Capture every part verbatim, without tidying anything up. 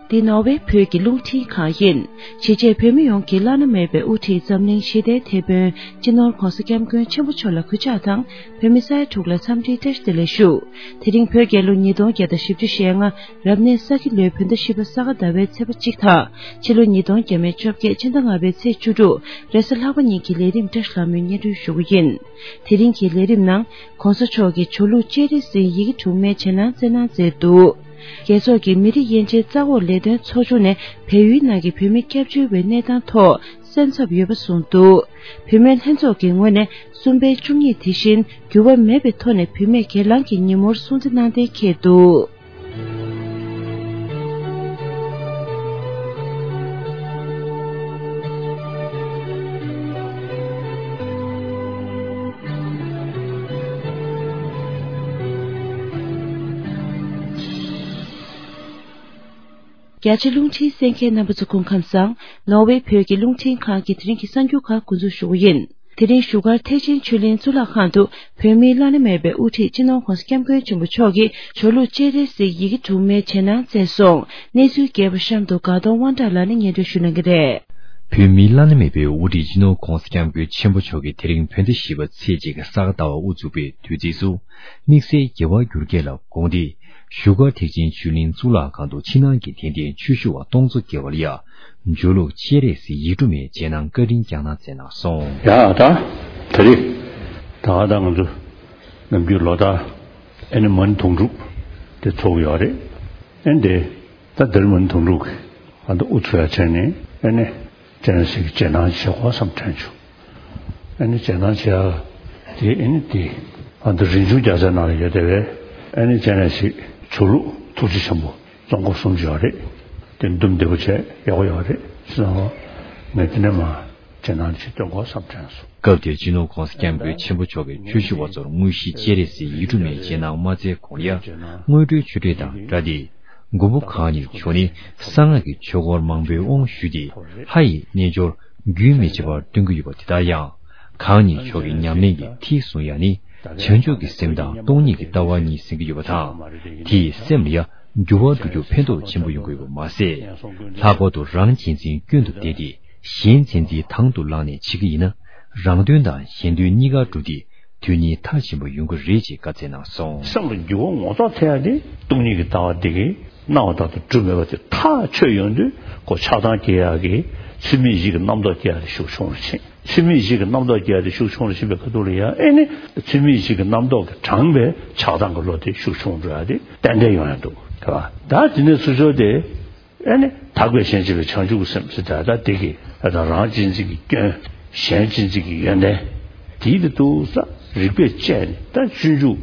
འདི་ནོར་ཝེ་བོད་ཀྱི་རླུང་འཕྲིན་ཁང་ཡིན། གཞིས་བྱེས་བོད་མི་ཡོངས་ཀྱི་བླ་ན་མེད་པའི་དབུ་ཁྲིད་འཛམ་གླིང་ཞི་བདེའི་དེད་དཔོན་སྤྱི་ནོར་༧གོང་ས་༧སྐྱབས་མགོན་ཆེན་པོ་མཆོག་ལ་གུས་ཕྱག་དང་། བོད་མི་ས་ཡ་དྲུག་ལ་འཚམས་འདྲིའི་བཀྲ་ཤིས་བདེ་ལེགས་ཞུ། དེ་རིང་བོད་རྒྱལ་ལོ་ཉིས་སྟོང་བརྒྱ་དང་བཞི་བཅུ་ཞེ་ལྔ། རབ་གནས་ས་ཁྱི་ལོའི་བོད་ཟླ་བཞི་པ་ས་ག་ཟླ་བའི་ཚེས་པ་གཅིག་དང་། ཕྱི་ལོ་ཉིས་སྟོང་བརྒྱ་མེད་བཅོ་བརྒྱད་ཕྱི་ཟླ་ལྔ་པའི་ཚེས་བཅུ་དྲུག་རེས་གཟའ་ལྷག་པ་ཉིན་གྱི་ལས་རིམ་བཀྲ་ཤིས་ལྷ་མོས་སྙན་སྒྲོན་ཞུ་གི་ཡིན། དེ་རིང་གི་ལས་རིམ་ནང་། ༸གོང་ས་མཆོག་གིས་ཇོ་ལུགས་སྤྱན་རས་གཟིགས་ཡི་གེ་དྲུག་མའི་རྗེས་གནང་བསྩལ་གནང་མཛད་འདུག་རྒྱལ་ཚོགས་ཀྱི་མི་རིགས་དབྱེ་འབྱེད་རྩ་འགོག་ལས་དོན་ཚོགས་ཆུང་ནས་བལ་ཡུལ་ནང་གི་བོད་མི་སྐྱབས་བཅོལ་བའི་གནས་སྟངས་ཐོག་སེམས་འཚབ་ཡོད་པ་གསུངས་འདུག་བུད་མེད་ལྷན་ཚོགས་ཀྱི་ངོས་ནས་གསུམ་པའི་བཅུ་གཉིས་དེ་བཞིན་འགྱུར་བ་མེད་པའི་ཐོག་ནས་བུད་མེད་སྒེར་ལངས་ཀྱི་ཉིན་མོར་སྲུང་བརྩི་གནང་གཏན་འཁེལ་འདུག་རྒྱ་ཆེ་རླུང་འཕྲིན་གསན་མཁན་རྣམ་པ་ཚོ་སྐུ་ཁམས་བཟང་། ནོར་ཝེ་བོད་ཀྱི་རླུང་འཕྲིན་ཁང་གི་དེ་རིང་གི་གསར་འགྱུར་ཁག་འགོ་འཛུགས་ཞུ་གི་ཡིན། དེ་རིང་བཞུགས་སྒར་ཐེག་ཆེན་ཆོས་གླིང་གཙུག་ལག་ཁང་དུ་བོད་མིའི་བླ་ན་མེད་པའི་དབུ་ཁྲིད་སྤྱི་ནོར་༸གོང་ས་༸སྐྱབས་མགོན་ཆེན་པོ་མཆོག་གིས་ཇོ་ལུགས་སྤྱན་རས་གཟིགས་ཡི་གེ་དྲུག་མའི་རྗེས་གནང་བསྩལ་སོང་། གནས་ཚུལ་རྒྱས་པ་གཤམ་དུ་དགའ་གདོང་དབང་གྲགས་ལགས་ནས་སྙན་སྒྲོན་ཞུ་གནང་གི་རེད། བོད་མིའི་བླ་ན་མེད་པའི་དབུ་ཁྲིད་སྤྱི་ནོར་༸གོང་ས་༸སྐྱབས་མགོན་ཆེན་པོ་མཆོག་གིས་དེ་རིང་བོད་ཟླ་བཞི་པ་ཚེས་གཅིག་ས་ག་ཟླ་བ་དབུ་ཚུགས་པའི་དུས་ཚིགས་སུ། དམིགས་བསལ་རྒྱལ་བ་འགྱུར་རྒྱལ་ལ་དགོངས་ཏེ། བཞུགས་སྒར་ཐེག་ཆེན་ཆོས་གླིང་གཙུག་ལག་ཁང་དུ་ཕྱི་ནང་གི་དད་ལྡན་ཆོས་ཞུ་བ་སྟོང་ཚོ་བརྒལ་བ་ལ་ཡ། ཇོ་ལུགས་སྤྱན་རས་གཟིགས་ཡིག་དྲུག་མའི་རྗེས་གནང་བཀའ་དྲིན་བསྐྱངས་གནང་མཛད་གནང་སོང་། ཡ་ད། ད་རེས། ད་ད་ང་ཚོ་ནམ་རྒྱུན་ལོ་ལྟར་ཨེ་ནི་མ་ཎི་དུང་སྒྲུབ་དེ་ཚོགས་ཀྱི་ཡོད་རེད། ཨེ་འདི་ད་འདིར་མ་ཎི་དུང་སྒྲུབ་ཀྱི་ཨ་ད་དབུ་ཚུགས་ཡ་བྱས་ནས་ཨེ་ནི་སྤྱན་རས་གཟིགས་ཀྱི་རྗེས་གནང་བྱེད་དགོས་བསམ་དྲན་བྱུང་། ཨེ་ནི་རྗེས་གནང་བྱེད་ཡ་དེ་ཨེ་ནི་དེ་ཨ་ད་རིན་ཆུང་རྒྱལ་མཚན་ནང་ལ་ཡོད་བསྡད་པའི་ཨེ་ནི་སྤྱན་རས་གཟིགས་ཇོ་ལུགས་ཐུགས་རྗེ་ཆེན་པོ། རྫོང་སྐོར་གསུམ་ཅིག་ཡོད་རེད། དེ་འདུམ་བདེ་པོ་བྱས་ཡག་པོ་ཡོད་རེད་ཟེར་ན། ངས་དེ་ནས་མ་རྗེས་གནང་ཅིག་སྟོན་དགོས་བསམ་དྲན་སོང་། སྐབས་དེར་སྤྱི་ནོར་༸གོང་ས་༸སྐྱབས་མགོན་ཆེན་པོ་མཆོག་གིས་ཆོས་ཞུ་བ་ཚོར་དངོས་གཞི་སྤྱན་རས་གཟིགས་ཡིག་དྲུག་མའི་རྗེས་གནང་མ་སྩལ་གོང་ལ་ཡ། དངོས་གྲུབ་ཆོས་འབྲེལ་དང་སྦྲགས་ཏེ། མགོན་པོ་གང་ཉིད་མཆོག་ནི་གསང་སྔགས་ཀྱི་ཆོས་སྐོར་མང་པོའི་དབང་ཞུས་ཏེ། ལྷ་ཡི་རྣལ་འབྱོར་རྒྱུན་མི་ཆད་པར་སྟོན་གྱི་ཡོད་པ་དེ་ལྟར་ཡང་། གང་ཉིད་མཆོག་གི་ཉམས་ལེན་གྱི་ཐིག་བཟུང་ཡ་ནི། བྱང་ཆུབ་ཀྱི་སེམས་དང་སྟོང་ཉིད་ཀྱི་ལྟ་བ་གཉིས་ཟིན་གྱི་ཡོད་པ་དང་། དེས་སེམས་ལ་ཡང་འགྱུར་བ་འགྲོ་རྒྱུར་ཕན་ཐོགས་ཆེན་པོ་ཡོང་གི་ཡོད་པ་མ་ཟད། ལྷག་པར་དུ་རང་གཅེས་འཛིན་སྐྱོན་དུ་བལྟས་ཏེ། གཞན་གཅེས་འཛིན་དང་དུ་བླངས་ནས་བྱེད་ཀྱི་ཡིན་ན། རང་དོན་དང་གཞན་དོན་གཉིས་ཀ་འགྲུབ་སྟེ། དོན་གཉིས་མཐར་ཕྱིན་པ་ཡོང་གི་རེད་ཅེས་བཀའ་སྩལ་གནང་སོང་། སེམས་ལ་འགྱུར་བ་ངོ་ཐོག་ཐེབས་ཡ་དེ་སྟོང་ཉིད་ཀྱི་ལྟ་བ་འདི་གིས་སྣང་བ་ལྟར་དུ་གྲུབ་མེད་པ་དེ་ཐག་ཆོད་ཡོང་དུས་ཁོ་ཆགས་སྡང་སྐྱེ་ཡག་གི་ཚུལ་མིན་བཞི་གི་རྣམ་རྟོག་སྐྱེ་ཡག་དེ་ཤུགས་ཆུང་རུ་ཕྱིན། ཚུལ་མིན་བཞི་གི་རྣམ་རྟོག་སྐྱེ་ཡག་དེ་ཤུགས་ཆུང་རུ་ཕྱིན་པའི་ཁ་ཐུག་ལ་ཡང་ཨེ་ནི་ཚུལ་མིན་བཞི་གི་རྣམ་རྟོག་གིས་དྲངས་པའི་ཆགས་སྡང་གི་བློ་དེ་ཤུགས་ཆུང་འགྲོ་ཡག་དེ་ཏན་ཏན་ཡོང་ཡག་འདུག་ག་ད་དེ་ནས་ཚུར་ཕྱོགས་དེ། ཨེ་ནི་དག་པའི་ཞེན་བྱེད་པའི་བྱང་ཆུབ་ཀྱི་སེམས་ཟེར་ད་ལྟ་དེ་གི་ཨ་ད་རང་གཅེས་འཛིན་གྱི་སྐྱོན། གཞན་གཅེས་འཛིན་གྱི་ཡོན་ཏན། དེའི་དེ་ཏུ་ས་རིགས་པས་དཔྱད་ནས་ད་སྤྱོད་འཇུག་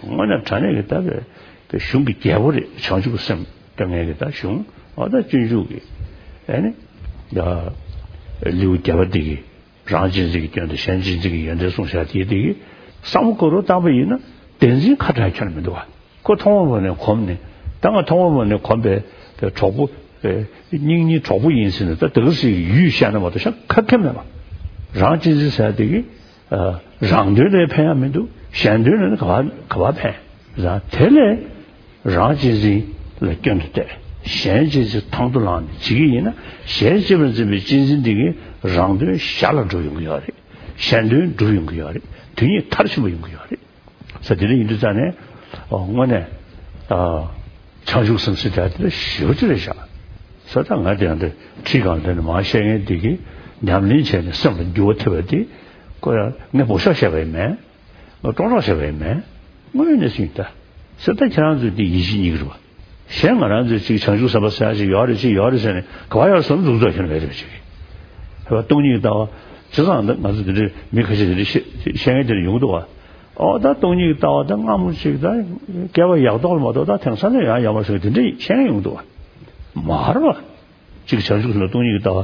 དངོས་གནས་དྲང་གནས་ཀྱི་ད་པའི་པའི་གཞུང་གི་རྒྱལ་པོ་རེད། བྱང་ཆུབ་ཀྱི་སེམས་ཀྱི་ངེས་ཀྱི་ད་གཞུང་ཨ་ད་སྤྱོད་འཇུག་གི་ཨེ་ནི་ད་ལེའུ་བརྒྱད་པ་དེ་གི་རང་གཅེས་འཛིན་གྱི་སྐྱོན་དང་གཞན་གཅེས་འཛིན་གྱི་ཡོན་ཏན་གསུངས་བཞག་དེའི་དེ་གི་བསམ་བློ་བསྐོར་རོགས་བཏང་པ་ཡིན་ན་བདེན་འཛིན་ཁ་བྲལ་ཁྱོན་ནས་མི་འདུག་བ། ཁོ་ཐོག་མ་ནས་གོམས་ནས་ད་ང་ཐོག་མ་ནས་གོམས་པའི་པའི་གྲོགས་པོ་པའི་སྙིང་ཉེའི་གྲོགས་པོ་ཡིན་ཟེར་ནས་ད་དེ་ག་ཟེར་ཡུལ་བཤད་ན་མ་གཏོགས་ཤ་ཁ་ཁ་མེད་པ། རང་གཅེས་འཛིན་ཟེར་དེ་གི་རང་དོན་ལ་ཕན་ཡག་མི་འདུག་གཞན་དོན་ལ་ནི་ག་བ་ག་བ་ཕན། རང་དེ་ལས་རང་གཅེས་འཛིན་ལ་སྐྱོན་དུ་བལྟས། གཞན་གཅེས་འཛིན་དང་དུ་བླངས་ནས་བྱེད་ཀྱི་ཡིན་ན་གཞན་གཅེས་པར་འཛིན་པའི་གཅེས་འཛིན་དེ་གིས་རང་དོན་ཞར་ལ་འགྲུབ་ཡོང་གི་ཡོད་རེད། གཞན་དོན་འགྲུབ་ཡོང་གི་ཡོད་རེད། དོན་གཉིས་མཐར་ཕྱིན་པ་ཡོང་གི་ཡོད་རེད། ས་དེ་འདྲ་ཡིན་དུས་ཙང་ནས་ཨོ་དངོས་གནས་ཨ་བྱང་ཆུབ་སེམས་ཟེར་དེ་དེ་ཞེ་པོ་ཅིག་རེད་ཤག་ས་ད་ང་དེ་ཡང་དེ་ཁྲིད་གང་དེ་ནས་མ་བཤད་མཁན་དེ་གི་ཉམས་ལེན་བྱས་ནས་སེམས་ལ་འགྱུར་བ་ཐེབས་པ་དེ་ཁོ་ཡང་ངས་འབོ་ཤོག་བཤད་པ་ཡིན་མིན། ང་སྤྲོ་སྤྲོ་བཤད་པ་ཡིན་མིན། དངོས་གནས་སུ་ཡིན་ད། ས་ད་ཁྱེད་རང་ཚོས་དེ་ཡིད་ཆེས་གཉིས་ཀྱི་རེད་བ། གཞན་ང་རང་ཚོས་ཅིག་བྱང་ཆུབ་སེམས་དཔའ་ཟེར་ཡག་ཅིག་ཡོད་རེད་ཅིག་ཡོད་རེད་ཟེར་ནས་ག་བ་ཡོད་སོང་འཛུགས་འཛུགས་ཁྱོན་མེད་རེད་ཅིག་གི། ཧེ་བ་སྟོང་ཉིད་ཀྱི་ལྟ་བ། བྱས་ཙང་ད་ང་ཚོ་འདི་འདྲའི་མི་ཁ་ཤས་འདི་འདྲའི་བཤད་བཤད་མཁན་དེ་འདྲ་ཡོང་གི་འདུག་བ། ཨོ་ད་སྟོང་ཉིད་ཀྱི་ལྟ་བ་ད་སྔ་མོ་ཅིག་ད་བསྐལ་པ་ཡག་ཐོག་ལ་མ་གཏོགས་ད་དེང་སང་ནས་ཡང་ཡོད་མ་སོང་གི་དེ་འདྲ་བཤད་མཁན་ཡོང་གི་འདུག་བ། མ་རེད་བ། ཅིག་བྱང་ཆུབ་ལ་སྟོང་ཉིད་ཀྱི་ལྟ་བ་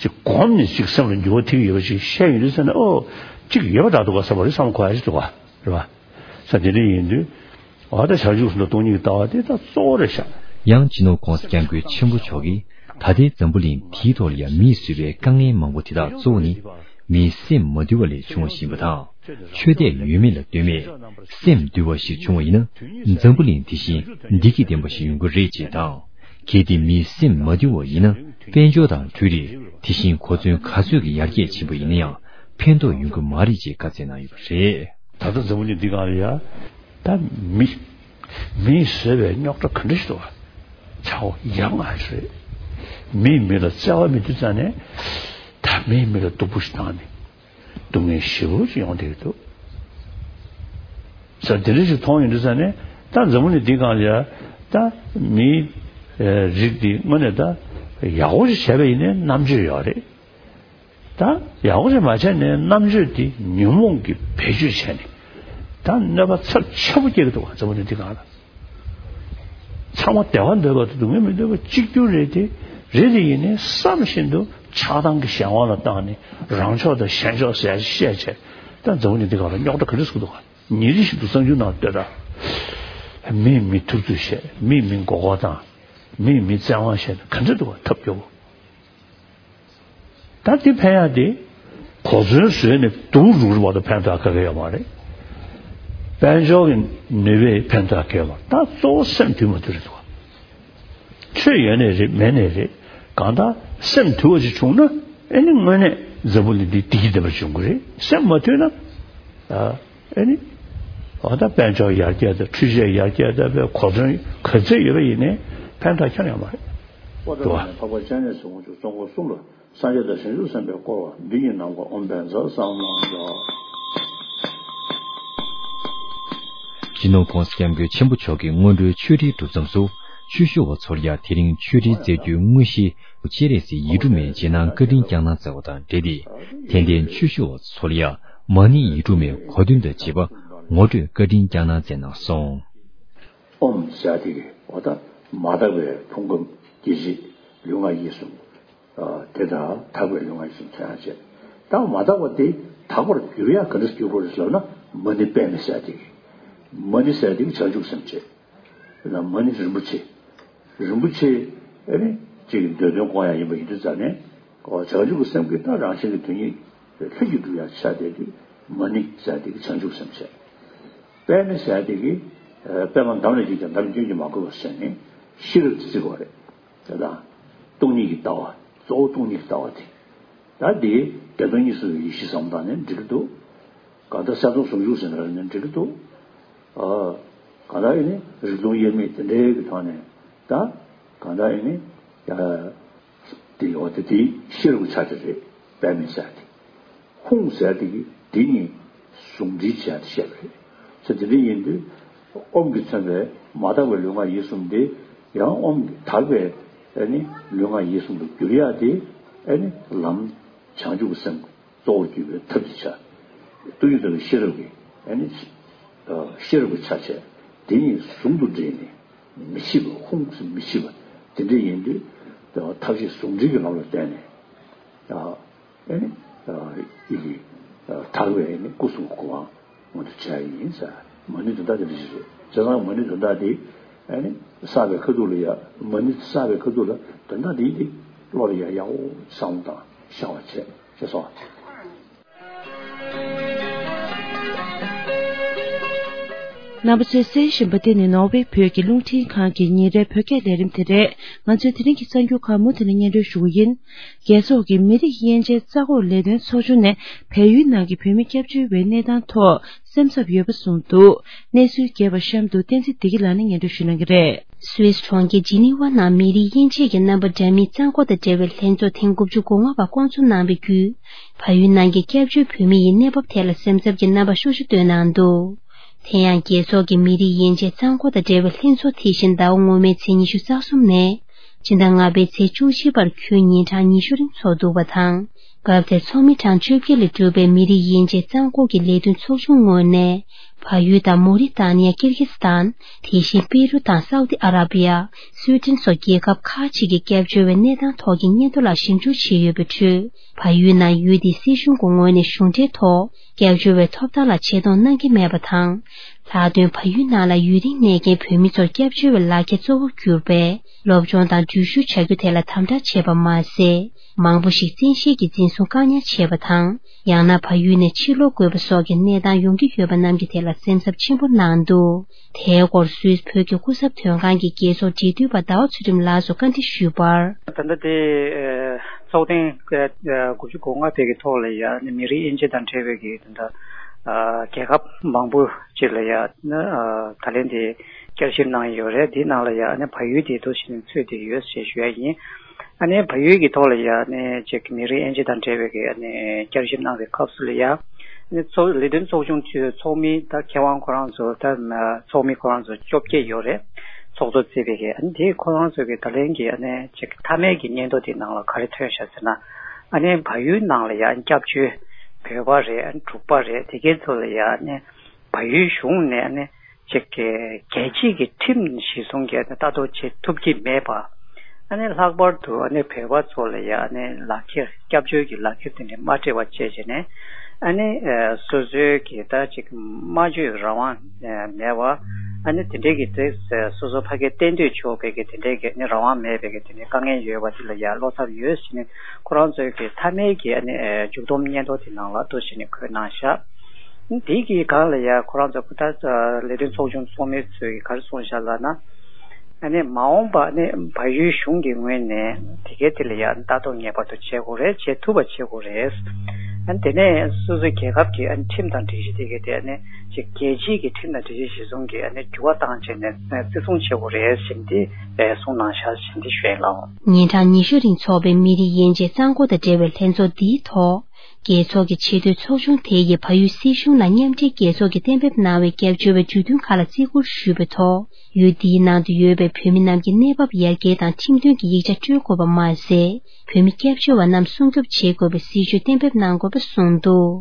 ཅིག་གོམས་ནས་ཅིག་སེམས་ལ་འགྱུར་བ་ཐེབས་ཡོད་པ་ཅིག་བཤད་ཡོང་དུས་ཙ་ནས་ཨོ་ཅིག་ཡོད་པ་འདྲ་འདུག་ག་བསམ་པ་རེད་བསམ་གོ་ཡ་ཅིག་འདུག་ག་རེད་བ། ས་དེ་འདྲ་ཡིན་དུས། འོ་ད་བྱང་ཆུབ་སེམས་དང་སྟོང་ཉིད་ཀྱི་ལྟ་བ་དེ་ད་གཙོ་བོ་རེད་ཤག་ཡང་སྤྱི་ནོར་༸གོང་ས་༸སྐྱབས་མགོན་ཆེན་པོ་མཆོག་གིས་ད་ལྟའི་འཛམ་བུ་གླིང་འདིའི་ཐོག་ལ་ཡང་མིས་བཟོས་པའི་དཀའ་ངལ་མང་པོ་དེ་དག་གཙོ་བོ་ནི་མིའི་སེམས་མ་དུལ་བ་ལས་བྱུང་བ་ཞིག་ཡིན་པ་དང་། ཆོས་དད་ཡོད་མེད་ལ་ལྟོས་མེད་སེམས་དུལ་བ་ཞིག་བྱུང་བ་ཡིན་ན་འཛམ་བུ་གླིང་འདི་བཞིན་བདེ་སྐྱིད་ལྡན་པ་ཞིག་ཡོང་གི་རེད་ཅེས་དང་། གལ་ཏེ་མིའི་སེམས་མ་དུལ་བ་ཡིན་ན། དཔལ་འབྱོར་དང་འཕྲུལ་རིག་དེ་བཞིན་གོ་མཚོན་ག་ཚོད་ཀྱི་ཡར་རྒྱས་ཕྱིན་པ་ཡིན་ན་ཡང་ཕན་ཐོགས་ཡོང་གི་མ་རེད་ཅེས་བཀའ་སྩལ་གནང་ཡོད་པ་རེད། ད་ལྟ་འཛམ་བུ་གླིང་འདི་སྒང་ལ་ཡ། ད་མི། མིས་བཟོས་པའི་རྙོག་དྲ་ག་འདྲ་ཞིག་འདུག་ག་ཆག་སྒོ་ཡ་ང་རེད། མིས་མི་ལ་བརྩེ་བ་མེད་དུས་ཙང་ནས། ད་མིས་མི་ལ་སྡུག་པོ་ཞིག་བཏང་ནས། སྡུག་བསྔལ་ཞེ་པོ་ཅིག་ཡོང་བསྡད་ཀྱི་འདུག་ས་དེ་འདྲ་ཞིག་མཐོང་ཡོང་དུས་ཙང་ནས། ད་འཛམ་བུ་གླིང་འདི་སྒང་ལ་ཡ། ད་མིའི་རིགས་འདི་དངོས་གནས་ད་ཡག་པོ་ཞིག་བྱས་པ་ཡིན་ནའི་རྣམ་དཔྱོད་ཡོད་རེད། ད་ཡག་པོ་ཞིག་མ་བྱས་ནས་རྣམ་དཔྱོད་དེ་ཉོན་མོངས་ཀྱིས་བེད་སྤྱོད་བྱས་ནས། ད་གནོད་པ་ཚབས་ཆེན་པོ་སྐྱེལ་གྱི་འདུག་ག་འཛམ་བུ་གླིང་འདི་སྒང་ལ། ཚང་མ་བདེ་བ་འདོད་པ་དང་སྡུག་བསྔལ་མི་འདོད་པ་གཅིག་གྱུར་རེད་དེ། རེད་དེ་ཡིན་ནའི་བསམ་བཞིན་དུ་ཆགས་སྡང་གི་གཞན་དབང་ལ་བཏང་ནས་རང་ཕྱོགས་དང་གཞན་ཕྱོགས་ཟེར་ཡ་ཞིག་བཤད་བྱས། ད་འཛམ་བུ་གླིང་འདི་སྒང་ལ་རྙོག་དྲ་ག་འདྲ་ཟེར་གྱི་འདུག་ག་ཉིན་རེ་བཞིན་དུ་གསར་འགྱུར་ནང་ལྟོས་དང་། མིས་མི་ཐུབ་ཚོད་བྱས། མིས་མི་མགོ་སྐོར་བཏང་། མིས་མི་བཙན་དབང་བྱས་ནས་ག་འདྲ་འདུག་ག་ཐབས་སྐྱོ་པོ། ད་འདི་ཕན་ཡག་དེ། གོ་མཚོན་བཟོས་ནས་སྡུག་རུག་རུག་བར་དུ་ཕན་ཐོགས་ག་གེ་ཡོད་མ་རེད། དཔལ་འབྱོར་གྱི་ནུས་པས་ཕན་ཐོགས་ག་གེ་ཡོད་མ་རེད། ད་གཙོ་བོ་སེམས་དུལ་མ་དུལ་རེད་འདུག་ག་ཆོས་ཡོད་ནའི་རེད་མེད་ནའི་རེད། གང་ལྟར་སེམས་དུལ་བ་ཅིག་བྱུང་ན། ཨེ་ནི་དངོས་གནས་འཛམ་བུ་གླིང་འདི་བདེ་སྐྱིད་ལྡན་པ་བྱུང་གི་རེད། སེམས་མ་དུལ་ན། ཨ་ཨེ་ནི། འོ་ད་དཔལ་འབྱོར་ཡར་རྒྱས་དང་འཕྲུལ་ཆས་ཡར་རྒྱས་དང་བའི་གོ་མཚོན་ག་ཚད་ཡོད་པ་ཡིན་ནའི་ཕན་ཐོགས་ཁྱོན་ཡོད་མ་རེད། པོ་ཏཱ་ལ་ནས་འཕགས་པ་སྤྱན་རས་གཟིགས་དབང་ཕྱུག་གཙོ་འཁོར་གསུམ་ལ། སངས་རྒྱས་དང་བྱང་ཆུབ་སེམས་དཔའི་བསྐོར་བ་འདི་ཉིད་ནམ་མཁའ་ཨོཾ་བཛྲ་སཾ་ལྷ་ཡ། སྤྱི་ནོར་༸གོང་ས་༸སྐྱབས་མགོན་ཆེན་པོ་མཆོག་གིས་སྔོན་འགྲོའི་ཆོས་ཁྲིད་གྲུབ་མཚམས་སུ། ཆོས་ཞུ་བ་ཚོར་ཡང་དེ་རིང་ཆོས་ཁྲིད་སྩལ་རྒྱུའི་དངོས་གཞི། སྤྱན་རས་གཟིགས་ཡིག་དྲུག་མའི་རྗེས་གནང་བཀའ་དྲིན་བསྐྱངས་གནང་སྩལ་བ་དང་འབྲེལ་ཏེ། དད་ལྡན་ཆོས་ཞུ་བ་ཚོར་ཡང་མ་ཎི་ཡིག་དྲུག་མའི་གོ་དོན་དང་བཅས་པ་ངོ་སྤྲོད་བཀའ་དྲིན་བསྐྱངས་གནང་མཛད་གནང་སོང་། ཨོཾ་ཟེར་དེ་གི་འོ་ད་མ་དག་པའི་ཕུང་ཁམས་སྐྱེ་མཆེད་ལུས་ངག་ཡིད་གསུམ། དེ་དང་དག་པའི་ལུས་ངག་ཡིད་གསུམ་ཚང་ཡང་བྱས། ད་མ་དག་པ་དེ་དག་པར་འགྱུར་ཡག་ག་འདྲ་འགྱུར་དགོས་རེད་ཟེར་ན། མ་ཎི་པདྨེ་ཟེར་དེ་གི། མ་ཎི་ཟེར་དེ་གི་བྱང་ཆུབ་སེམས་བྱས། མ་ཎི་རིན་པོ་ཆེ། རིན་པོ་ཆེ། ཨེ་ནི། གཅིག་གི་འདོད་དོན་སྐོང་ཡག་ཡིན་པ་ཡིན་དུས་ཙང་ནས། བྱང་ཆུབ་ཀྱི་སེམས་ཀྱི་ད་རང་བཞིན་གྱི་དོན་ཉིད་ལྷུན་གྱིས་གྲུབ་ཡག་ཆ་དེ་དུས་མ་ཎི་ཟེར་དེ་གི་བྱང་ཆུབ་སེམས་བྱས། པདྨེ་ཟེར་དེ་གི། པདྨ་འདམ་ལས་སྐྱེས་ཀྱང་འདམ་སྐྱོན་གྱིས་མ་གོས་པ་ཟེར་ནས་ཤེས་རབ་ཏུ་བརྩི་དགོས་རེད། དེ་དང་། སྟོང་ཉིད་ཀྱི་ལྟ་བ། གཙོ་བོ་སྟོང་ཉིད་ཀྱི་ལྟ་བ་དེ། ད་དེ་བདེ་སྟོང་གཉིས་སུ་ཡེ་ཤེས་བསམ་བཏང་ནས་འགྲིག་གི་འདུག་གང་ལྟར་གསལ་སྟོང་ཟུང་འཇུག་ཟེར་ན་ནི་འགྲིག་གི་འདུག་ཨ། གང་ལྟར་ཨེ་ནི་རིག་སྟོང་དབྱེར་མེད་དེ་འདྲའི་གི་ཐོག་ནས་ད། གང་ལྟར་ཨེ་ནི། ཨ། དེ་ཡོད་དེ་དེའི་ཤེས་རབ་ཀྱི་ཆ་དེ་རེད། པདྨེ་ཟེར་དེ། ཧཱུྃ་ཟེར་དེ་གི་དེ་གཉིས་ཟུང་འབྲེལ་བྱས་ཏེ་བཤད་པ་རེད། ཚེ་དེ་འདྲ་ཡིན་དུས། ཨོཾ་གྱིས་མཚོན་པའི་མ་དག་པའི་ལུས་ངག་ཡིད་གསུམ་དེ། ཡང་ཨོཾ་གྱིས་དག་པའི་ཨེ་ནི་ལུས་ངག་ཡིད་གསུམ་དུ་འགྱུར་ཡག་དེ། ཨེ་ནི་ལམ་བྱང་ཆུབ་ཀྱི་སེམས། གཙོ་བོར་གྱུར་པའི་ཐབས་ཀྱི་ཆ། སྟོང་ཉིད་རྟོགས་པའི་ཤེས་རབ་ཀྱི། ཨ་ནི། ཤེས་རབ་ཀྱི་ཆ་བྱས། དེ་གཉིས་ཟུང་དུ་འབྲེལ་ནས། མི་ཕྱེད་པ། ཧཱུྃ་ཟེར་མི་ཕྱེད་པ། དེ་འདྲ་ཡིན་དུས། ཐབས་ཤེས་ཟུང་འབྲེལ་གྱི་ལམ་ལ་བརྟེན་ནས། ཨ་ནི། ཡིད་ཀྱི། དག་པའི་ཨ་ནི་སྐུ་གསུང་གི་གོ་འཕང་མངོན་དུ་བྱ་ཡི་ཡིན་ཟེར། མ་ཎི་དོན་དག་དེ་འདྲ་ཞིག་རེད། བྱས་ཙང་མ་ཎི་དོན་དག་དེ། ཨ་ནི། བསགས་པའི་ཁ་ཐུག་ལ་ཡ། མ་ཎི་བསགས་པའི་ཁ་ཐུག་ལ་དོན་དག་དེ་ཡིན་དེ། བློ་ལ་ཡ་ཡག་པོ་བསམ་བློ་བཏང་ཤར་བ་བྱས། ཅེས་སོ། རྣམ་པ་ཚོས་གསན་བཞིན་པ་འདི་ནི་ནོར་ཝེ་བོད་ཀྱི་རླུང་འཕྲིན་ཁང་གི་ཉིན་རེའི་བོད་སྐད་ལས་རིམ་དེ་རེད། ང་ཚོས་དེ་རིང་གི་གསར་འགྱུར་ཁག་མུ་མཐུད་ནས་སྙན་སྒྲོན་ཞུ་གི་ཡིན། རྒྱལ་ཚོགས་ཀྱི་མི་རིགས་དབྱེ་འབྱེད་རྩ་འགོག་ལས་དོན་ཚོགས་ཆུང་ནས་བལ་ཡུལ་ནང་གི་བོད་མི་སྐྱབས་བཅོལ་བའི་གནས་སྟངས་ཐོག་སེམས་འཚབ་ཡོད་པ་གསུངས་འདུག་གནས་ཚུལ་རྒྱས་པ་གཤམ་དུ་བསྟན་འཛིན་བདེ་སྐྱིད་ལགས་ནས་སྙན་སྒྲོན་ཞུ་གནང་གི་རེད། སུད་སི་གྲོང་ཁྱེར་ཇི་ནི་ཝ་ནང་མི་རིགས་དབྱེ་འབྱེད་ཀྱི་རྣམ་པ་འདྲ་མིན་རྩ་འགོག་དང་འབྲེལ་བའི་ལྷན་ཚོགས་ཐེངས་དགུ་བཅུ་གོ་ལྔ་པ་བསྐོང་ཚོགས་གནང་བའི་བརྒྱུད། བལ་ཡུལ་ནང་གི་སྐྱབས་བཅོལ་བོད་མི་ཡི་གནས་བབ་ཐད་ལ་སེམས་འཚབ་ཀྱི་རྣམ་པ་ཤུགས་ཆེ་བཏོན་གནང་འདུག་དེ་ཡང་རྒྱལ་ཚོགས་ཀྱི་མི་རིགས་དབྱེ་འབྱེད་རྩ་འགོག་དང་འབྲེལ་བའི་ལྷན་ཚོགས་དེ་བཞིན་ཟླ་བ་སྔོན་མའི་ཚེས་ཉི་ཤུ་རྩ་གསུམ་ནས། སྤྱི་ཟླ་ལྔ་པའི་ཚེས་བཅུ་གཅིག་བར་ཁྱོན་ཉིན་གྲངས་ཉི་ཤུ་རིང་འཚོགས་འདུག་པ་དང་། སྐབས་དེར་ཚོགས་མི་གྲངས་བཅོ་བརྒྱད་ལས་གྲུབ་པའི་མི་རིགས་དབྱེ་འབྱེད་རྩ་འགོག་གི་ལས་དོན་ཚོགས་ཆུང་ངོས་ནས། བལ་ཡུལ་དང་མོ་རི་ཏཱ་ནི་ཡ། ཀིར་གིས་སི་ཐན། དེ་བཞིན་པེ་རུ་དང་སའུ་ཏི་ཨ་ར་བི་ཡ། སུའེ་ཏེན་སོགས་རྒྱལ་ཁབ་ཁག་ཅིག་གི་སྐྱབས་བཅོལ་བའི་གནས་སྟངས་ཐོག་གི་སྙན་ཐོ་ལ་ཞིབ་འཇུག་བྱས་ཡོད་པའི་ཁྲོད། བལ་ཡུལ་ནང་ཡུལ་དེའི་སྲིད་གཞུང་གི་ངོས་ནས་གཞུང་འབྲེལ་ཐོག་སྐྱབས་བཅོལ་བའི་ཐོབ་ཐང་ལ་ཆེ་མཐོང་གནང་གི་མེད་པ་དང་། ལྷག་དོན་བལ་ཡུལ་ནང་ལ་ཡུན་རིང་གནས་མཁན་བོད་མི་ཚོར་སྐྱབས་བཅོལ་བའི་ལག་ཁྱེར་གཙོ་བོར་གྱུར་པའི་སློབ་སྦྱོང་དང་འགྲུལ་བཞུད་བྱ་རྒྱུ་དེ་ལ་དམ་དྲག་བྱས་པ་མ་ཟད། མང་པོ་ཞིག་བཙན་ཤེད་ཀྱིས་འཛིན་བཟུང་བཀག་ཉར་བྱས་པ་དང་། ཡང་ན་བལ་ཡུལ་ནས་ཕྱིར་ལོག་དགོས་པ་སོགས་ཀྱི་གནས་སྟངས་ཡོང་གི་ཡོད་པ་རྣམས་ཀྱི་ཐད་ལ། སེམས་འཚབ་ཆེན་པོ་གནང་འདུག་དེའི་སྐོར་སུད་སི་བོད་ཀྱི་སྐུ་ཚབ་དོན་ཁང་གི་རྒྱལ་ཚོགས་འབྲེལ་མཐུད་པ་ཟླ་བ་ཚུལ་ཁྲིམས་ལགས་སུ་བཀའ་འདྲི་ཞུས་པར། ད་ལྟ་དེ་ཚོགས་ཐེངས་དགུ་བཅུ་གོ་ལྔ་དེ་གི་ཐོག་ལ་ཡ་ནི་མི་རིགས་དབྱེ་འབྱེད་དང་འབྲེལ་བའི་གི་ད་ལྟ་རྒྱལ་ཁབ་མང་པོ་ཅིག་ལ་ཡ་ནི་ད་ལན་དེ་བསྐྱར་ཞིབ་གནང་ཡོད་རེད། དེའི་ནང་ལ་ཡ་ནི་བལ་ཡུལ་དེ་འདུག་ཞིག་ཚུད་དེ་ཡོད་ཞེས་ཞུ་ཡ་ཡིན། ཨ་ནི་བལ་ཡུལ་གྱི་ཐོག་ལ་ཡ་ཨ་ནི་ཅིག་མི་རིགས་དབྱེ་འབྱེད་དང་འབྲེལ་བའི་གི་ཨ་ནི་བསྐྱར་ཞིབ་གནང་བའི་སྐབས་སུ་ལ་ཡ་ཨ་ནི་ཚོགས་ལས་དོན་ཚོགས་ཆུང་ཚོའི་ཚོགས་མི་ད་མཁས་དབང་ཁོ་རང་ཚོ་ད་ཚོགས་མི་ཁོ་རང་ཚོ་བཅོ་བརྒྱད་ཡོད་རེད། ཚོགས་གཙོ་བརྩིས་པའི་གི་ཨ་ནི་དེ་ཁོ་རང་ཚོ་གི་ད་ལན་གྱི་ཨ་ནི་ཅིག་མཐའ་མའི་གི་སྙན་ཐོ་དེ་ནང་ལ་ག་རེ་ཐོན་བཞག་ཟེར་ན། ཨ་ནི་བལ་ཡུལ་ནང་ལ་ཡ་སྐྱབས་བཅོལ་བོད་པ་རེད། ཨ་ནི་འབྲུག་པ་རེད། དེ་གའི་ཚོ་ལ་ཡ་ཨ་ནི་བལ་ཡུལ་གཞུང་ནས་ཨ་ནི་ཅིག་གི་རྒྱལ་སྤྱིའི་གི་ཁྲིམས་གཞི་བཟུང་གི་ལྟ་རྟོག་བྱེད་ཐུབ་ཀྱི་མེད་པ། ཨ་ནི་ལྷག་པར་དུ་ཨ་ནི་བོད་པ་ཚོ་ལ་ཡ་ཨ་ནི་ལག་ཁྱེར་སྐྱབས་བཅོལ་གྱི་ལག་ཁྱེར་དེ་འདྲ་མ་སྤྲད་པ་བཅས་བྱས་ནས་ཨ་ནི་སོ་སོའི་གི་ད་ཅིག་སྨྲ་བརྗོད་རང་དབང་མེད་པ། ཨ་ནི་དེ་འདྲའི་གི་དེ་སོ་སོ་ཕ་གིར་གཏན་སྡོད་ཆོག་པའི་གི་དེ་འདྲའི་གི་ཨ་ནི་རང་དབང་མེད་པའི་གི་དེ་འདྲའི་དཀའ་ངལ་ཡོད་པ་དེ་ལ་ཡ་བློ་འཚབ་ཡོད་ཟེར་ནས་ཁོ་རང་ཚོའི་གི་མཐའ་མའི་གི་ཨ་ནི་མཇུག་སྡོམ་སྙན་ཐོ་དེ་ནང་ལ་ཏོག་ཙམ་ནས་འཁོད་གནང་བཞག་དེ་གི་སྒང་ལ་ཡ་ཁོ་རང་ཚོ་ད་ལས་དོན་ཚོགས་ཆུང་ཚོགས་མི་ཚོས་ག་རེ་གསུངས་བཞག་ལབ་ན། ཨ་ནི་མ་འོངས་པ་ཨ་ནི་བལ་ཡུལ་གཞུང་གི་ངོས་ནས་དེ་གའི་དེ་ལ་ཡ་ལྟ་རྟོག་ངེས་པར་དུ་བྱེད་དགོས་རེད། བྱེད་ཐུབ་པ་བྱེད་དགོས་རེད། ཨ་ནི་དེ་ནས་སོ་སོའི་རྒྱལ་ཁབ་ཀྱི་ཨ་ནི་ཁྲིམས་དང་སྒྲིག་གཞི་དེ་གའི་དེ་ཨ་ནི་ཅིག་རྒྱལ་སྤྱིའི་གི་ཁྲིམས་དང་སྒྲིག་གཞི་གཞིར་བཟུང་གི་ཨ་ནི་འགྱུར་བ་བཏང་བྱས་ནས་བརྩི་སྲུང་བྱེད་དགོས་རེད་ཟེར་ཏེ་གསུངས་གནང་བཞག་ཟེར་ཏེ་ཞུ་ཡ་ལགས། ཉིན་གྲངས་ཉི་ཤུ་རིང་འཚོགས་པའི་མི་རིགས་དབྱེ་འབྱེད་གཙང་སྒོ་དང་འབྲེལ་བའི་ལྷན་ཚོགས་འདིའི་ཐོག་རྒྱལ་ཚོགས་ཀྱི་ཆེས་མཐོའི་ཚོགས་ཆུང་དེ་ཡིས་བལ་ཡུལ་སྲིད་གཞུང་ལ་མཉམ་འབྲེལ་རྒྱལ་ཚོགས་ཀྱིས་གཏན་འབེབས་གནང་བའི་སྐྱབས་བཅོལ་བའི་གྲོས་མཐུན་ཁག་ལ་བརྩི་བཀུར་ཞུས་པའི་ཐོག་ཡུལ་འདིའི་ནང་དུ་ཡོད་པའི་བོད་མི་རྣམས་ཀྱི་གནས་བབ་ཡར་རྒྱས་དང་ཁྲིམས་མཐུན་གྱི་ཡིག་ཆ་སྤྲོད་དགོས་པ་མ་ཟད། བོད་མི་སྐྱབས་བཅོལ་བ་རྣམས་སྲུང་སྐྱོབ་བྱེད་དགོས་པའི་སྲིད་བྱུས་གཏན་འབེབས་གནང་དགོས་པ་གསུངས་འདུག་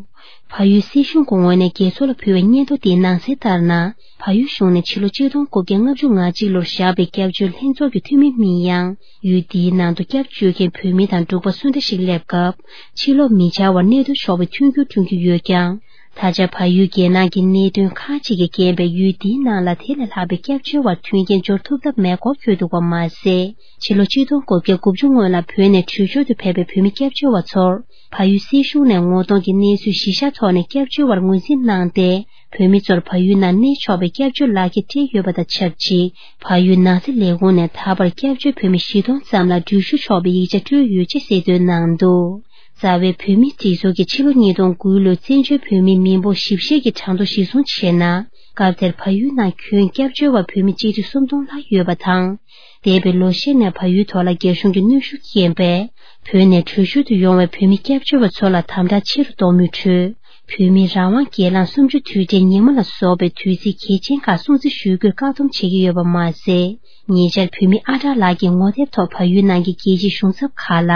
བལ་ཡུལ་སྲིད་གཞུང་གི་ངོས་ནས་རྒྱལ་ཚོགས་ལ་ཕུལ་བའི་སྙན་ཐོ་དེའི་ནང་གསལ་ལྟར་ན། བལ་ཡུལ་གཞུང་ནས་ཕྱི་ལོ་ཆིག་སྟོང་དགུ་བརྒྱ་ལྔ་བཅུ་ང་གཅིག་ལོར་བཞག་པའི་སྐྱབས་བཅོལ་ལྷན་ཚོགས་ཀྱི་འཐུས་མི་མིན་ཡང་། ཡུལ་འདིའི་ནང་དུ་སྐྱབས་བཅོལ་མཁན་བོད་མི་དང་འབྲུག་པ་སུ་འདྲ་ཞིག་སླེབས་སྐབས། ཕྱིར་ལོག་མི་བྱ་བར་གནས་སྡོད་ཆོག་པའི་མཐུན་འགྱུར་བསྐྲུན་རྒྱུ་ཡོད་ཀྱང་། ད་ཆ་བལ་ཡུལ་རྒྱལ་ནང་གི་གནད་དོན་ཁག་ཅིག་གིས་རྐྱེན་པས་ཡུལ་འདིའི་ནང་ལ་དེ་ལས་ལྷག་པའི་སྐྱབས་བཅོལ་བར་མཐུན་རྐྱེན་སྦྱོར་ཐུབ་ཐབས་མེད་སྐོར་འཁོད་འདུག་པ་མ་ཟད། ཕྱི་ལོ་ཆིག་སྟོང་དགུ་བརྒྱ་དགུ་བཅུ་སྔོན་ལ་བོད་ནས་བྲོས་བྱོལ་དུ་ཕེབས་པའི་བོད་མི་སྐྱབས་བཅོལ་བ་ཚོར། བལ་ཡུལ་སྲིད་གཞུང་ནས་ངོ་གདོང་གི་གནས་ཚུལ་གཞི་བཞག་ཐོག་ནས་སྐྱབས་བཅོལ་བར་ངོས་འཛིན་གནང་སྟེ། བོད་མི་ཚོར་བལ་ཡུལ་ནང་གནས་ཆོག་པའི་སྐྱབས་བཅོལ་ལག་ཁྱེར་སྤྲད་ཡོད་པ་དང་ཆབས་ཅིག་བལ་ཡུལ་ནང་སྲིད་ལས་ཁུངས་ནས་ད་བར་སྐྱབས་བཅོལ་བོད་མི་བཞི་སྟོང་ཙམ་ལ་འགྲུལ་བཞུད་ཆོག་པའི་ཡིག་ཆ་སྤྲོད་ཡོད་ཅེས་གསལ་སྟོན་གནང་འདུག་རྩ་བའི་བོད་མིའི་སྒྲིག་འཛུགས་ཀྱིས་ཕྱི་ལོ་ཉིས་སྟོང་དགུ་ལོའི་བཙན་བྱོལ་བོད་མིའི་མི་འབོར་ཞིབ་བཤེར་གྱི་གྲངས་ཐོ་གཞིར་བཟུང་བྱས་ན། སྐབས་དེར་བལ་ཡུལ་ནང་ཁྱོན་སྐྱབས་བཅོལ་བ་བོད་མི་གཅིག་ཁྲི་སུམ་སྟོང་ལྷག་ཡོད་པ་དང་། འདས་པའི་ལོ་ཤས་ནས་བལ་ཡུལ་ཐོག་ལ་རྒྱ་གཞུང་གི་གནོན་ཤུགས་རྐྱེན་པས། བོད་ནས་བྲོས་བྱོལ་དུ་ཡོང་བའི་བོད་མི་སྐྱབས་བཅོལ་བ་ཚོ་ལ་དམ་དྲག་ཆེ་རུ་གཏོང་མུས་ཁྲོད། བོད་མིའི་རང་དབང་སྒེར་ལངས་གསུམ་བཅུ་དུས་དྲན་ཉི་མ་ལ་སོགས་པའི་དུས་ཚིགས་གལ་ཆེན་ཁག་སྲུང་བརྩི་ཞུ་རྒྱུར་བཀག་སྡོམ་བྱེད་ཀྱི་ཡོད་པ་མ་ཟད། ཉེ་ཆར་བོད་མི་ཨ་གྲགས་ལགས་ཀྱིས་ངོ་དེབ་ཐོག་བལ་ཡུལ་ནང་གི་རྒྱལ་སྤྱིའི་གཞུང་ཚབ་ཁག་ལ།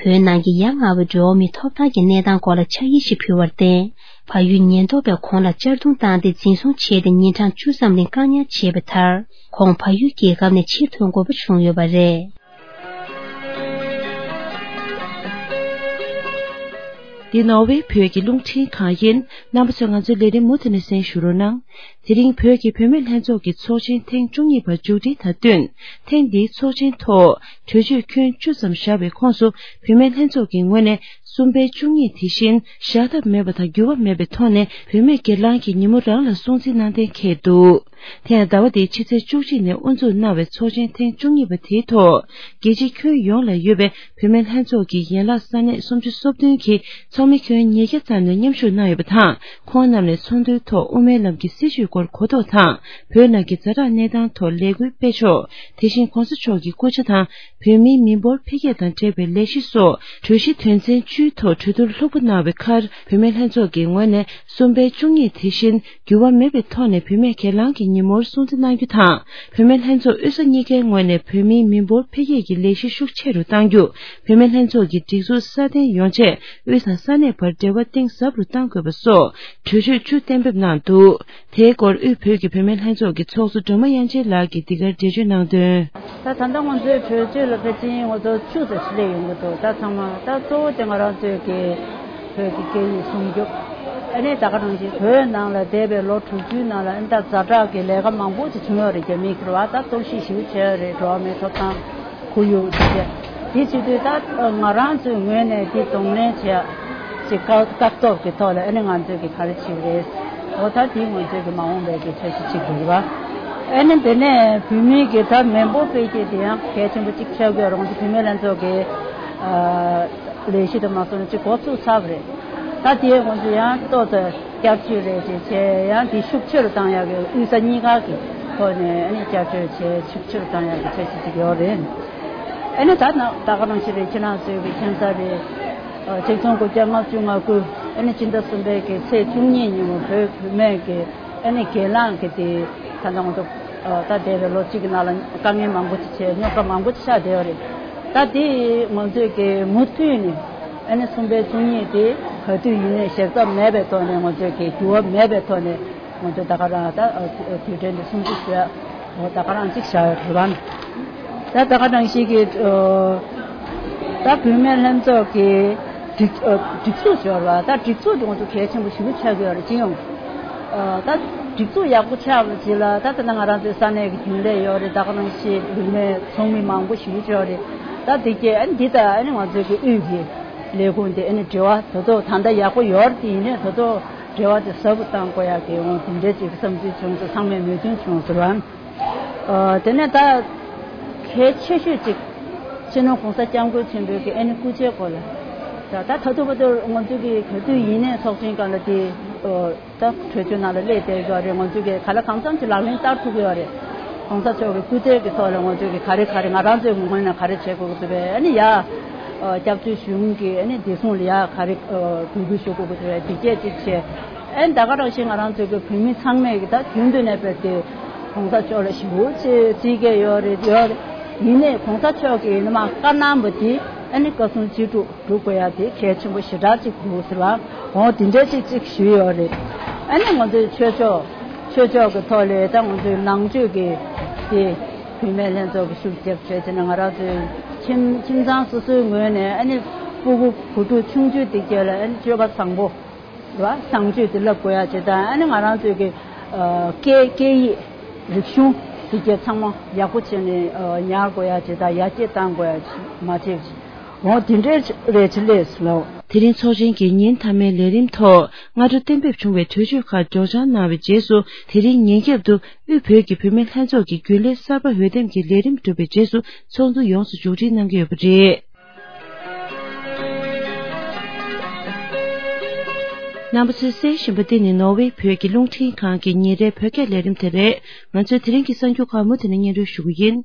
བོད་ནང་གི་ཡ་ང་བའི་འགྲོ་བ་མིའི་ཐོབ་ཐང་གི་གནས་སྟངས་སྐོར་ལ་ཕྱག་ཡིག་ཞིག་ཕུལ་བར་བརྟེན། བལ་ཡུལ་ཉེན་རྟོག་པས་ཁོང་ལ་གཅར་རྡུང་བཏང་སྟེ་འཛིན་བཟུང་བྱས་ཏེ་ཉིན་གྲངས་བཅུ་ཙམ་རིང་བཀག་ཉར་བྱས་པའི་མཐར། ཁོང་བལ་ཡུལ་རྒྱལ་ཁབ་ནས་ཕྱིར་ཐོན་དགོས་པ་བྱུང་ཡོད་པ་རེད། འདི་ནོར་ཝེ་བོད་ཀྱི་རླུང་འཕྲིན་ཁང་ཡིན། རྣམ་པ་ཚོས་ང་ཚོའི་ལས་རིམ་མུ་མཐུད་ནས་གསན་ཞུ་རོགས་གནང་། དེ་རིང་བོད་ཀྱི་བུད་མེད་ལྷན་ཚོགས་ཀྱི་ཚོགས་ཆེན་ཐེངས་བཅུ་གཉིས་པ་མཇུག་སྒྲིལ་དང་བསྟུན། ཐེངས་འདིའི་ཚོགས་ཆེན་ཐོག་གྲོས་ཆོད་ཁྱོན་བཅུ་ཙམ་བཞག་པའི་ཁོངས་སུ་བུད་མེད་ལྷན་ཚོགས་ཀྱི་ངོས་ནས་གསུམ་པའི་བཅུ་གཉིས་དེ་བཞིན་བཞག་ཐབས་མེད་པ་དང་འགྱུར་བ་མེད་པའི་ཐོག་ནས་བུད་མེད་སྒེར་ལངས་ཀྱི་ཉིན་མོ་རང་ལ་སྲུང་བརྩི་གནང་གཏན་འཁེལ་འདུག་དེ་ཡང་ཟླ་བ་འདིའི་ཕྱི་ཚེས་བཅུ་གཅིག་ནས་དབུ་འཛུགས་གནང་བའི་ཚོགས་ཆེན་ཐེངས་བཅུ་གཉིས་པ་དེའི་ཐོག་རྒྱལ་སྤྱིའི་ཁྱོན་ཡོངས་ལ་ཡོད་པའི་བུད་མེད་ལྷན་ཚོགས་ཀྱི་ཡན་ལག་ས་གནས་སུམ་ཅུ་སོ་བདུན་གྱི་ཚོགས་མི་ཁྱོན་ཉིས་བརྒྱ་ཙམ་ནས་མཉམ་ཞུགས་གནང་ཡོད་པ་དང་། ཁོང་རྣམས་ནས་ཚོགས་འདུའི་ཐོག་དབུ་མའི་ལམ་གྱི་སྲིད་བྱུས་སྐོར་གོ་རྟོགས་དང་། བོད་ནང་གི་ཛ་དྲག་གནས་སྟངས་ཐོག་ལས་འགུལ་སྤེལ་ཕྱོགས། དེ་བཞིན་གོང་ས་མཆོག་གི་སྐུ་ཕྱྭ་དང་། བོད་མིའི་མི་འབོར་འཕེལ་རྒྱས་དང་འབྲེལ་བའི་ལས་གཞི་སོགས་གྲོས་གཞི་དོན་ཚན་བཅུའི་ཐོག་གྲོས་བསྡུར་ལྷུག་པོ་གནང་བའི་ཁར། བུད་མེད་ལྷན་ཚོགས་ཀྱི་ངོས་ནས་གསུམ་པའི་བཅུ་གཉིས་དེ་བཞིན་འགྱུར་བ་མེད་པའི་ཐོག་ནས་བུད་མེད་སྒེར་ལངས་ཀྱི་ཉིན་མོར་སྲུང་བརྩི་གནང་རྒྱུ་དང་། བུད་མེད་ལྷན་ཚོགས་དབུས་ས་གཉིས་ཀའི་ངོས་ནས་བོད་མིའི་མི་འབོར་འཕེལ་རྒྱས་ཀྱི་ལས་གཞི་ཤུགས་ཆེ་རུ་གཏང་རྒྱུ། བུད་མེད་ལྷན་ཚོགས་ཀྱི་སྒྲིག་འཛུགས་སྲ་བརྟན་ཡོང་ཆེད་དབུས་དང་ས་གནས་བར་འབྲེལ་བ་གཏིང་ཟབ་རུ་གཏང་དགོས་པ་སོགས་གྲོས་ཆོད་བཅུ་གཏན་འབེབས་གནང་འདུག་དེའི་སྐོར་དབུས་བོད་ཀྱི་བུད་མེད་ལྷན་ཚོགས་ཀྱི་ཚོགས་གཙོ་སྒྲོལ་མ་དབྱངས་ཅན་ལགས་ཀྱིས་འདི་གར་འགྲེལ་བརྗོད་གནང་དོན། ད་ད་ལྟ་ང་ཚོའི་གྲོས་ཆོད་ལ་ཕལ་ཆེར་ང་ཚོ་བཅུ་ཙམ་ཞིག་སླེབས་ཡོང་གི་འདུག་ད་ཚང་མ་ད་གཙོ་བོ་དེ་ང་རང་ཚོའི་གི་བོད་ཀྱི་སྐད་ཡིག་སྲུང་སྐྱོབ། ཨ་ནི་ད་ག་ནང་བཞིན་བོད་ནང་ལ་འདས་པའི་ལོ་དྲུག་ཅུའི་ནང་ལ་ཨ་ནི་ད་ཛ་དྲག་གི་ལས་ཀ་མང་པོ་ཅིག་བྱུང་ཡོད་རེད། རྒྱ་མིའི་ཁུར་བ་ད་གཏོར་བཤིག་ཞེ་པོ་བྱས་ཡོད་རེད། འགྲོ་བ་མིའི་ཐོབ་ཐང་ཁོར་ཡུག་དེ་བྱས། དེ་བྱེད་དུས་ད་ང་རང་ཚོའི་ངོས་ནས་དེ་གདོང་ལེན་བྱས་ཅིག་བཀག་བཀག་སྡོམ་གྱི་ཐོག་ལ་ཨ་ནི་ང་ཚོས་གི་ག་རེ་བྱེད་རེད། འོ་ད་དེ་ང་ཚོའི་གི་མ་འོངས་པའི་གི་འཆར་གཞི་གཅིག་འདུག་བ། ཨ་ནི་དེ་ནས་བོད་མིའི་གི་ད་མི་འབོར་འཕེལ་རྒྱས་དེ་ཡང་གལ་ཆེན་པོ་གཅིག་ཆགས་ཀྱི་ཡོད་རེད། ང་ཚོ་བུད་མེད་ལྷན་ཚོགས་ཀྱི་ཨ་ལས་གཞི་དུ་མ་སོང་ན་གཅིག་འགོ་ཚུགས་ཚར་བ་རེད། ད་དེ་ང་ཚོ་ཡང་ཏོག་ཙམ་བསྐྱར་བཅོས་རེ་ཅིག་བྱས་ཡང་དེ་ཤུགས་ཆེ་རུ་བཏང་ཡག་གི་དབུས་ས་གཉིས་ཀ་གི་ཐོག་ནས་ཨ་ནི་བསྐྱར་བཅོས་བྱས་ཤུགས་ཆེ་རུ་བཏང་ཡག་གི་འཆར་གཞི་ཅིག་ཡོད་རེད། ཨ་ནི་ད་ནང་ད་ག་ནང་བཞིན་རེད། ཁྱེད་རང་ཚོའི་གི་ཁྱིམ་ཚང་རེད། ཆིག་སྟོང་དགུ་བརྒྱ་ལྔ་བཅུ་ང་དགུ་ཨ་ནི་སྤྱི་ཟླ་གསུམ་པའི་གི་ཚེས་བཅུ་གཉིས་ཉིན་མོ་བོད་བུད་མེད་ཀྱི་ཨ་ནི་སྒེར་ལངས་ཀྱི་དེ་ད་ལྟ་ང་ཚོ་ད་འདས་པའི་ལོ་གཅིག་གི་ནང་ལ་དཀའ་ངལ་མང་པོ་ཅིག་བྱས། རྙོག་དྲ་མང་པོ་ཅིག་ཆགས་བསྡད་ཡོད་རེད། ད་དེ་ང་ཚོས་ཀྱི་མུ་མཐུད་ནས་ཨ་ནི་གསུམ་པའི་བཅུ་གཉིས་དེ་ག་དུས་ཡིན་ནའི་ཞེ་ས་མེད་པའི་ཐོག་ནས་ང་ཚོས་ཀྱི་འགྱུར་བ་མེད་པའི་ཐོག་ནས་ང་ཚོས་ད་ག་རང་ད་དུས་དྲན་དེ་སྲུང་བརྩི་ཞུ་ཡ་ད་ག་རང་ཅིག་བཞག་ཡོད་རེད་བ། ད་ད་ག་ནང་བཞིན་གྱི་ད་བུད་མེད་ལྷན་ཚོགས་ཀྱི་སྒྲིག་སྒྲིག་འཛུགས་ཞོར་བ་ད་སྒྲིག་འཛུགས་དེ་ང་ཚོ་གལ་ཆེན་པོ་ཞེ་པོ་ཆགས་ཀྱི་ཡོད་རེད། སྤྱི་ཡོངས་ད་སྒྲིག་འཛུགས་ཡག་པོ་ཆགས་པ་ཅིག་ལ་ད་ད་ང་རང་ཚོའི་ས་གནས་ཀྱི་རྒྱུན་ལས་ཡོད་རེད། ད་ག་ནང་བཞིན་བུད་མེད་ཚོགས་མི་མང་པོ་ཞེ་པོ་ཅིག་ཡོད་རེད། ད་དེ་གས་ཨ་ནི་འདི་ད་ཨ་ནི་ང་ཚོའི་གི་དབུས་ཀྱི་ལས་ཁུངས་དེ་ཨ་ནི་འབྲེལ་བ་ད་དུང་ད་ལྟ་ཡག་པོ་ཡོད་རེད། དེ་ཡིན་ནའི་ད་དུང་འབྲེལ་བ་དེ་ཟབ་པོ་གཏང་དགོས་ཡག་གི་འོང་དེ་འདྲའི་ཅིག་བསམ་ཚུལ་བྱུང་སོང་། ཚང་མས་མོས་མཐུན་བྱུང་ཟེར་བ། ཨ་དེ་ནས་ད་གལ་ཆེ་ཤོས་ཅིག་སྤྱི་ནོར་༸གོང་ས་༸སྐྱབས་མགོན་ཆེན་པོའི་གི་ཨ་ནི་སྐུ་ཕྱྭའི་སྐོར་ལ་ད་ད་ད་ཐུབ་པ་ཚོ་ང་ཚོ་གི་ག་དུས་ཡིན་ནའི་ཚོགས་ཆེན་སྒང་ལ་དེ་ཨ་ད་གྲོས་ཆོད་ནང་ལ་སླེབས་བསྡད་ཡོད་རེད། ང་ཚོ་གི་ག་ལ་གང་འཚམ་ཅིག་ལག་ལེན་བསྟར་ཐུབ་ཀྱི་ཡོད་རེད། ༸གོང་ས་མཆོག་གི་སྐུ་ཚེ་གི་ཐོག་ལ་ང་ཚོ་གི་ག་རེ་ག་རེ་ང་རང་ཚོའི་ངོས་ནས་ག་རེ་བྱེད་དགོས་ཀྱི་འདུག་པས། ཨ་ནི་ཡ་ཨ་སྐྱབས་བཅོལ་གཞུང་གི་ཨ་ནི་བདེ་སྲུང་ལ་ཡ་ག་རེ་ཨ་འབོད་སྐུལ་ཞུ་དགོས་ཀྱི་འདུག་པས། དེ་གས་ཅིག་བྱས། ཨ་ནི་ད་ག་རང་བཞིན་ང་རང་ཚོ་གི་བོད་མི་ཚང་མས་གི་ད་རྒྱུན་དུ་ནས་དཔེར་དེ་༸གོང་ས་མཆོག་ལ་ཞེ་པོ་ཅིག་བརྩི་གི་ཡོད་རེད། ཡོད་རེད། ཡིན་ནའི་༸གོང་ས་མཆོག་གི་ཡིན་ན་མ་བཀའ་གནང་བ་དེ་ཨ་ནི་བཀའ་གསུང་ཅི་སྒྲུབ་སྒྲུབ་དགོས་ཡ་དེ་གལ་ཆེན་པོ་ཞེ་དྲག་ཅིག་འདུག་ཟེར་བ། འོ་དེ་འདྲ་ཅིག་ཅིག་ཞུས་ཡོད་རེད། ཨ་ནི་ང་ཚོའི་ཆོས་ཕྱོགས་ཆོས་ཕྱོགས་ཀྱི་ཐོག་ལས་ད་ང་ཚོའི་ནང་ཆོས་ཀྱི་དེ་བུད་མེད་ལྷན་ཚོགས་ཀྱི་ཤུགས་རྒྱབ་བྱས་བྱས་ནས་ང་རང་ཚོའི་ཁྱིམ་ཁྱིམ་ཚང་སོ་སོའི་ངོས་ནས་ཨ་ནི་སྤུ་གུ་བུ་ཕྲུག་ཆུང་ཆུང་དེ་གས་ལ་ཨ་ནི་སྤྱོད་པ་བཟང་པོ་རེད་བ། བཟང་སྤྱོད་དེ་བསླབ་དགོས་ཡ་བྱས་དང་ཨ་ནི་ང་རང་ཚོའི་གི་ཨ་སྐད་སྐད་ཡིག་རིག་གཞུང་དེ་གས་ཚང་མ་ཡག་པོ་བྱས་ནས་ཨ་ཉར་དགོས་ཡ་བྱས་དང་ཡར་རྒྱས་བཏང་དགོས་ཡ་མ་བྱས་བྱས། འོ་དེ་འདྲའི་རེད་ཆི་ལེས་ལོ། དེ་རིང་ཚོགས་ཆེན་གྱི་ཉིན་མཐའ་མའི་ལས་རིམ་ཐོག་སྔ་དྲོ་གཏན་འབེབས་བྱུང་བའི་གྲོས་ཆོད་ཁག་སྒྲོག་སྦྱང་གནང་བའི་རྗེས་སུ། དེ་རིང་ཉིན་རྒྱབ་ཏུ་དབུས་བོད་ཀྱི་བུད་མེད་ལྷན་ཚོགས་ཀྱི་རྒྱུན་ལས་གསར་པ་འོས་འདེམས་ཀྱི་ལས་རིམ་གྲུབ་པའི་རྗེས་སུ་ཚོགས་འདུ་ཡོངས་སུ་མཇུག་སྒྲིལ་གནང་གི་ཡོད་པ་རེད། རྣམ་པ་ཚོས་གསན་བཞིན་པ་འདི་ནི་ནོར་ཝེ་བོད་ཀྱི་རླུང་འཕྲིན་ཁང་གི་ཉིན་རེའི་བོད་སྐད་ལས་རིམ་དེ་རེད། ང་ཚོས་དེ་རིང་གི་གསར་འགྱུར་ཁག་མུ་མཐུད་ནས་སྙན་སྒྲོན་ཞུ་རྒྱུ་ཡིན།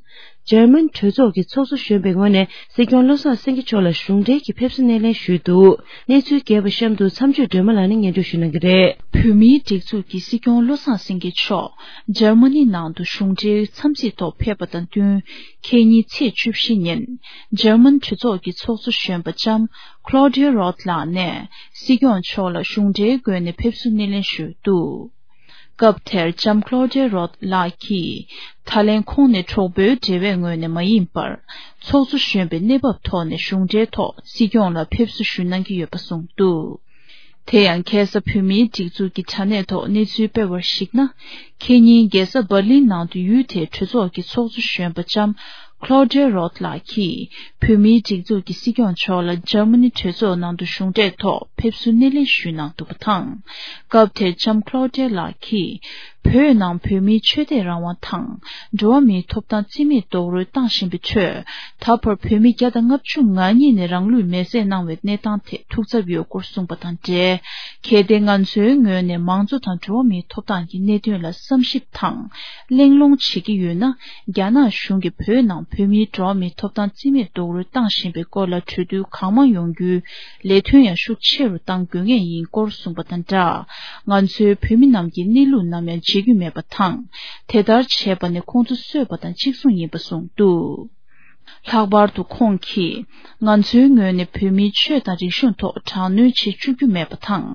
འཇར་མན་གྲོས་ཚོགས་ཀྱི་ཚོགས་གཙོ་གཞོན་པའི་ངོས་ནས་སྲིད་སྐྱོང་བློ་བཟང་སེང་གེ་མཆོག་ལ་གཞུང་འབྲེལ་གྱི་ཕེབས་བསུ་སྣེ་ལེན་ཞུས་འདུག་གནས་ཚུལ་རྒྱས་པ་གཤམ་དུ་མཚམས་གཅོད་སྒྲོལ་མ་ལགས་ནས་སྙན་སྒྲོན་ཞུ་གནང་གི་རེད། བོད་མིའི་སྒྲིག་འཛུགས་ཀྱི་སྲིད་སྐྱོང་བློ་བཟང་སེང་གེ་མཆོག་འཇར་མ་ནི་ནང་དུ་གཞུང་འབྲེལ་འཚམས་གཟིགས་ཐོག་ཕེབས་པ་དང་བསྟུན། ཁེ་ཉིན་ཚེས་བཅུ་བཞི་ཉིན། འཇར་མན་གྲོས་ཚོགས་ཀྱི་ཚོགས་གཙོ་གཞོན་པ་ལྕམ་Claudia Roth ལགས་ནས་སྲིད་སྐྱོང་མཆོག་ལ་གཞུང་འབྲེལ་སྒོ་ནས་ཕེབས་བསུ་སྣེ་ལེན་ཞུས་འདུག་སྐབས་དེར་ལྕམ་Claudia Roth ལགས་ཀྱིས། ད་ལན་ཁོང་ནས་གྲོགས་པོའི་འབྲེལ་བའི་ངོས་ནས་མ་ཡིན་པར། ཚོགས་གཙོ་གཞོན་པའི་གནས་བབ་ཐོག་ནས་གཞུང་འབྲེལ་ཐོག་སྲིད་སྐྱོང་ལ་ཕེབས་བསུ་ཞུ་གནང་གི་ཡོད་པ་གསུངས་འདུག་དེ་ཡང་ཁ་སང་བོད་མིའི་སྒྲིག་འཛུགས་ཀྱི་དྲ་གནས་ཐོག་གནས་ཚུལ་སྤེལ་བར་གཞིགས་ན། ཁེ་ཉིན་རྒྱལ་ས་འབར་ལིན་ནང་དུ་ཡུལ་དེའི་གྲོས་ཚོགས་ཀྱི་ཚོགས་གཙོ་གཞོན་པ་ལྕམ་Claudia Roth ལགས་ཀྱིས་བོད་མིའི་སྒྲིག་འཛུགས་ཀྱི་སྲིད་སྐྱོང་མཆོག་ལ་འཇར་མ་ནི་གྲོས་ཚོགས་ནང་དུ་གཞུང་འབྲེལ་ཐོག་ཕེབས་བསུ་སྣེ་ལེན་ཞུས་གནང་འདུག་པ་དང་། སྐབས་དེར་ལྕམ་Claudia ལགས་ཀྱིས། བོད་ནང་བོད་མིའི་ཆོས་དད་རང་དབང་དང་། འགྲོ་བ་མིའི་ཐོབ་ཐང་རྩིས་མེད་རྡོག་རོལ་བཏང་བཞིན་པའི་ཁྲོད། ད་བར་བོད་མི་བརྒྱ་དང་ལྔ་བཅུ་ང་གཉིས་ནས་རང་ལུས་མེར་སྲེག་གནང་བའི་གནས་སྟངས་ཐད་ཐུགས་འཚབ་ཡོད་སྐོར་གསུངས་པ་དང་འབྲེལ། གལ་ཏེ་ང་ཚོའི་ངོས་ནས་མང་གཙོ་དང་འགྲོ་བ་མིའི་ཐོབ་ཐང་གི་གནད་དོན་ལ་བསམ་ཞིབ་དང་། གླེང་སློང་བྱེད་ཀྱི་ཡོད་ན། རྒྱ་ནག་གཞུང་གིས་བོད་ནང་བོད་མིའི་འགྲོ་བ་མིའི་ཐོབ་ཐང་རྩིས་མེད་རྡོག་རོལ་བཏང་བཞིན་པའི་སྐོར་ལ་གྲོས་བསྡུར་གང་མང་ཡོང་རྒྱུའི་ལས་དོན་ཡང་ཤུགས་ཆེ་རུ་གཏང་དགོས་ངེས་ཡིན་སྐོར་གསུངས་པ་དང་སྦྲགས། ང་ཚོའི་བོད་མི་རྣམས་ཀྱི་གནས་ལུགས་ནམ་ཡང་བརྗེད་རྒྱུ་མེད་པ་དང་། དེ་ལྟར་བྱས་པ་ནི་ཁོང་ཚོ་གསོད་པ་དང་གཅིག་མཚུངས་ཡིན་པ་གསུངས་འདུག་ལྷག་པར་དུ་ཁོང་གིས། ང་ཚོའི་ངོས་ནས་བོད་མིའི་ཆོས་དང་རིག་གཞུང་ཐོག་དྲག་གནོན་བྱེད་བཅུག་རྒྱུ་མེད་པ་དང་།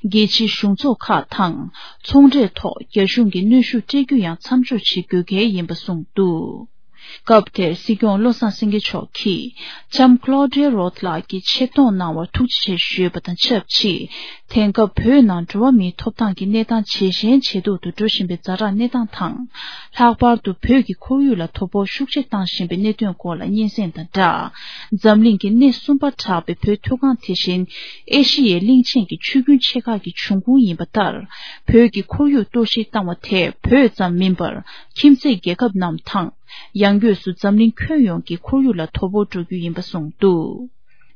རྒྱལ་སྤྱིའི་གཞུང་ཚོགས་ཁག་དང་། ཚོང་འབྲེལ་ཐོག་རྒྱ་གཞུང་གིས་གནོན་ཤུགས་སྤྲད་རྒྱུ་ཡང་མཚམས་འཇོག་བྱེད་དགོས་གལ་ཡིན་པ་གསུངས་འདུག་སྐབས་དེར་སྲིད་སྐྱོང་བློ་བཟང་སེང་གེ་མཆོག་གིས་ལྕམ་Claudia Roth་ལགས་ཀྱི་ཆེད་གཏོང་གནང་བར་ཐུགས་རྗེ་ཆེ་ཞུས་པ་དང་ཆབས་ཅིག་དེང་སྐབས་བོད་ནང་འགྲོ་བ་མིའི་ཐོབ་ཐང་གི་གནས་སྟངས་ཇེ་ཞན་ཇེ་སྡུག་ཏུ་འགྲོ་བཞིན་པའི་ཛ་དྲག་གནས་སྟངས་དང་། ལྷག་པར་དུ་བོད་ཀྱི་ཁོར་ཡུག་ལ་དོ་ཕོག་ཤུགས་ཆེ་བཏང་བཞིན་པའི་གནད་དོན་སྐོར་ལ་སྙན་སེང་དང་སྦྲགས། འཛམ་གླིང་གི་སྣེ་གསུམ་པར་གྲགས་པའི་བོད་མཐོ་སྒང་དེ་བཞིན་ཨེ་ཤི་ཡའི་གླིང་ཆེན་གྱི་ཆུ་རྒྱུན་ཆེ་ཁག་གི་འབྱུང་ཁུངས་ཡིན་པ་ལྟར། བོད་ཀྱི་ཁོར་ཡུག་གཏོར་བཤིག་བཏང་བ་དེས་བོད་ཙམ་མིན་པར་ཁྱིམ་མཚེས་རྒྱལ་ཁབ་རྣམས་དང་། ཡང་སྒོས་སུ་འཛམ་གླིང་ཁྱོན་ཡོངས་ཀྱི་ཁོར་ཡུག་ལ་དོ་ཕོག་འགྲོ་རྒྱུ་ཡིན་པ་གསུངས་འདུག་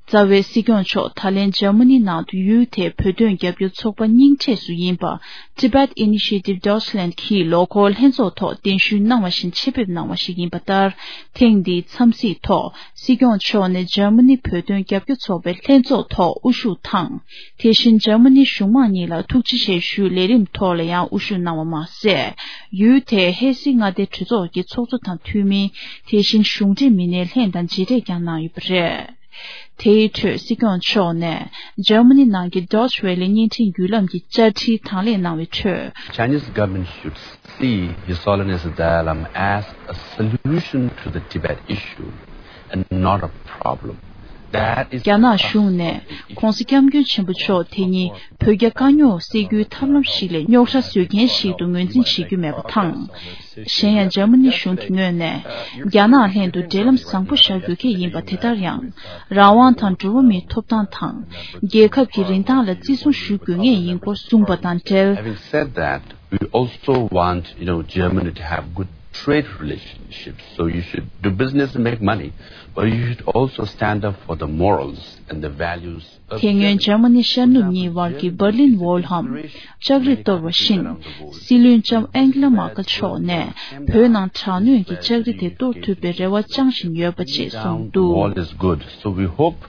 རྩ་བའི་སྲིད་སྐྱོང་མཆོག་ད་ལན་འཇར་མ་ནི་ནང་དུ་ཡུལ་དེའི་བོད་དོན་རྒྱབ་སྐྱོར་ཚོགས་པ་རྙིང་གྲས་སུ་ཡིན་པ་Tibet Initiative Deutschland གྱིས་ལོ་འཁོར་ལྷན་ཚོགས་ཐོག་གདན་ཞུ་གནང་བ་བཞིན་ཆེད་ཕེབས་གནང་བ་ཞིག་ཡིན་པ་ལྟར། ཐེངས་འདིའི་འཚམས་གཟིགས་ཐོག་སྲིད་སྐྱོང་མཆོག་ནས་འཇར་མ་ནི་བོད་དོན་རྒྱབ་སྐྱོར་ཚོགས་པའི་ལྷན་ཚོགས་ཐོག་དབུ་བཞུགས་དང་། དེ་བཞིན་འཇར་མ་ནི་གཞུང་མང་གཉིས་ལ་ཐུགས་རྗེ་ཆེ་ཞུའི་ལས་རིམ་ཐོག་ལ་ཡང་དབུ་བཞུགས་གནང་བ་མ་ཟད། ཡུལ་དེའི་ཧེ་སི་མངའ་སྡེའི་གྲོས་ཚོགས་ཀྱི་ཚོགས་གཙོ་དང་འཐུས་མི། དེ་བཞིན་གཞུང་འབྲེལ་མི་སྣའི་ལྷན་དང་མཇལ་འཕྲད་ཀྱང་གནང་ཡོད་པ་རེད། དེའི་ཁྲོད་སྲིད་སྐྱོང་མཆོག་ནས་འཇར་མ་ནི་ནང་གི་Deutsche Welle་བརྙན་འཕྲིན་བརྒྱུད་ལམ་གྱི་བཅར་འདྲིའི་དང་ལེན་གནང་བའི་ཁྲོད། Chinese government should see His Holiness the Dalai Lama as a solution to the Tibet issue and not a problem. That is རྒྱ་ནག་གཞུང་ནས་༧གོང་ས་༧སྐྱབས་མགོན་ཆེན་པོ་མཆོག་དེ་ཉིད་བོད་རྒྱ་དཀའ་རྙོག་སེལ་རྒྱུའི་ཐབས་ལམ་ཞིག་ལས་རྙོག་དྲ་བཟོ་མཁན་ཞིག་ཏུ་ངོས་འཛིན་བྱེད་རྒྱུ་མེད་པ་དང་། གཞན་ཡང་འཇར་མ་ནི་གཞུང་གི་ངོས་ནས་རྒྱ་ནག་ལྷན་དུ་འབྲེལ་ལམ་བཟང་པོ་བཞག་དགོས་ཀྱི་ཡིན་པ་དེ་ལྟར་ཡང་། རང་དབང་དང་འགྲོ་བ་མིའི་ཐོབ་ཐང་དང་། རྒྱལ་ཁབ་ཀྱི་རིན་ཐང་ལ་བརྩི་སྲུང་ཞུ་དགོས་ངེས་ཡིན་སྐོར་གསུངས་པ་དང་འབྲེལ། Having said that, we also want, you know, Germany to have good trade relationships. So you should do business and make money, but you should also stand up for the morals and the values of དེ་སྔོན་Germany. འཇར་མ་ནི་ཤར་ནུབ་གཉིས་བར་གྱི་Berlin Wall་འམ་ལྕགས་རི་གཏོར་བ་བཞིན། སྲིད་བློན་ལྕམ་ཨན་ཀི་ལ་མར་ཀལ་མཆོག་ནས་བོད་ནང་དྲག་གནོན་གྱི་ལྕགས་རི་དེ་གཏོར་ཐུབ་པའི་རེ་བ་བཅང་བཞིན་ཡོད་པ་ཅེས་གསུངས་འདུག Wall is good. So we hope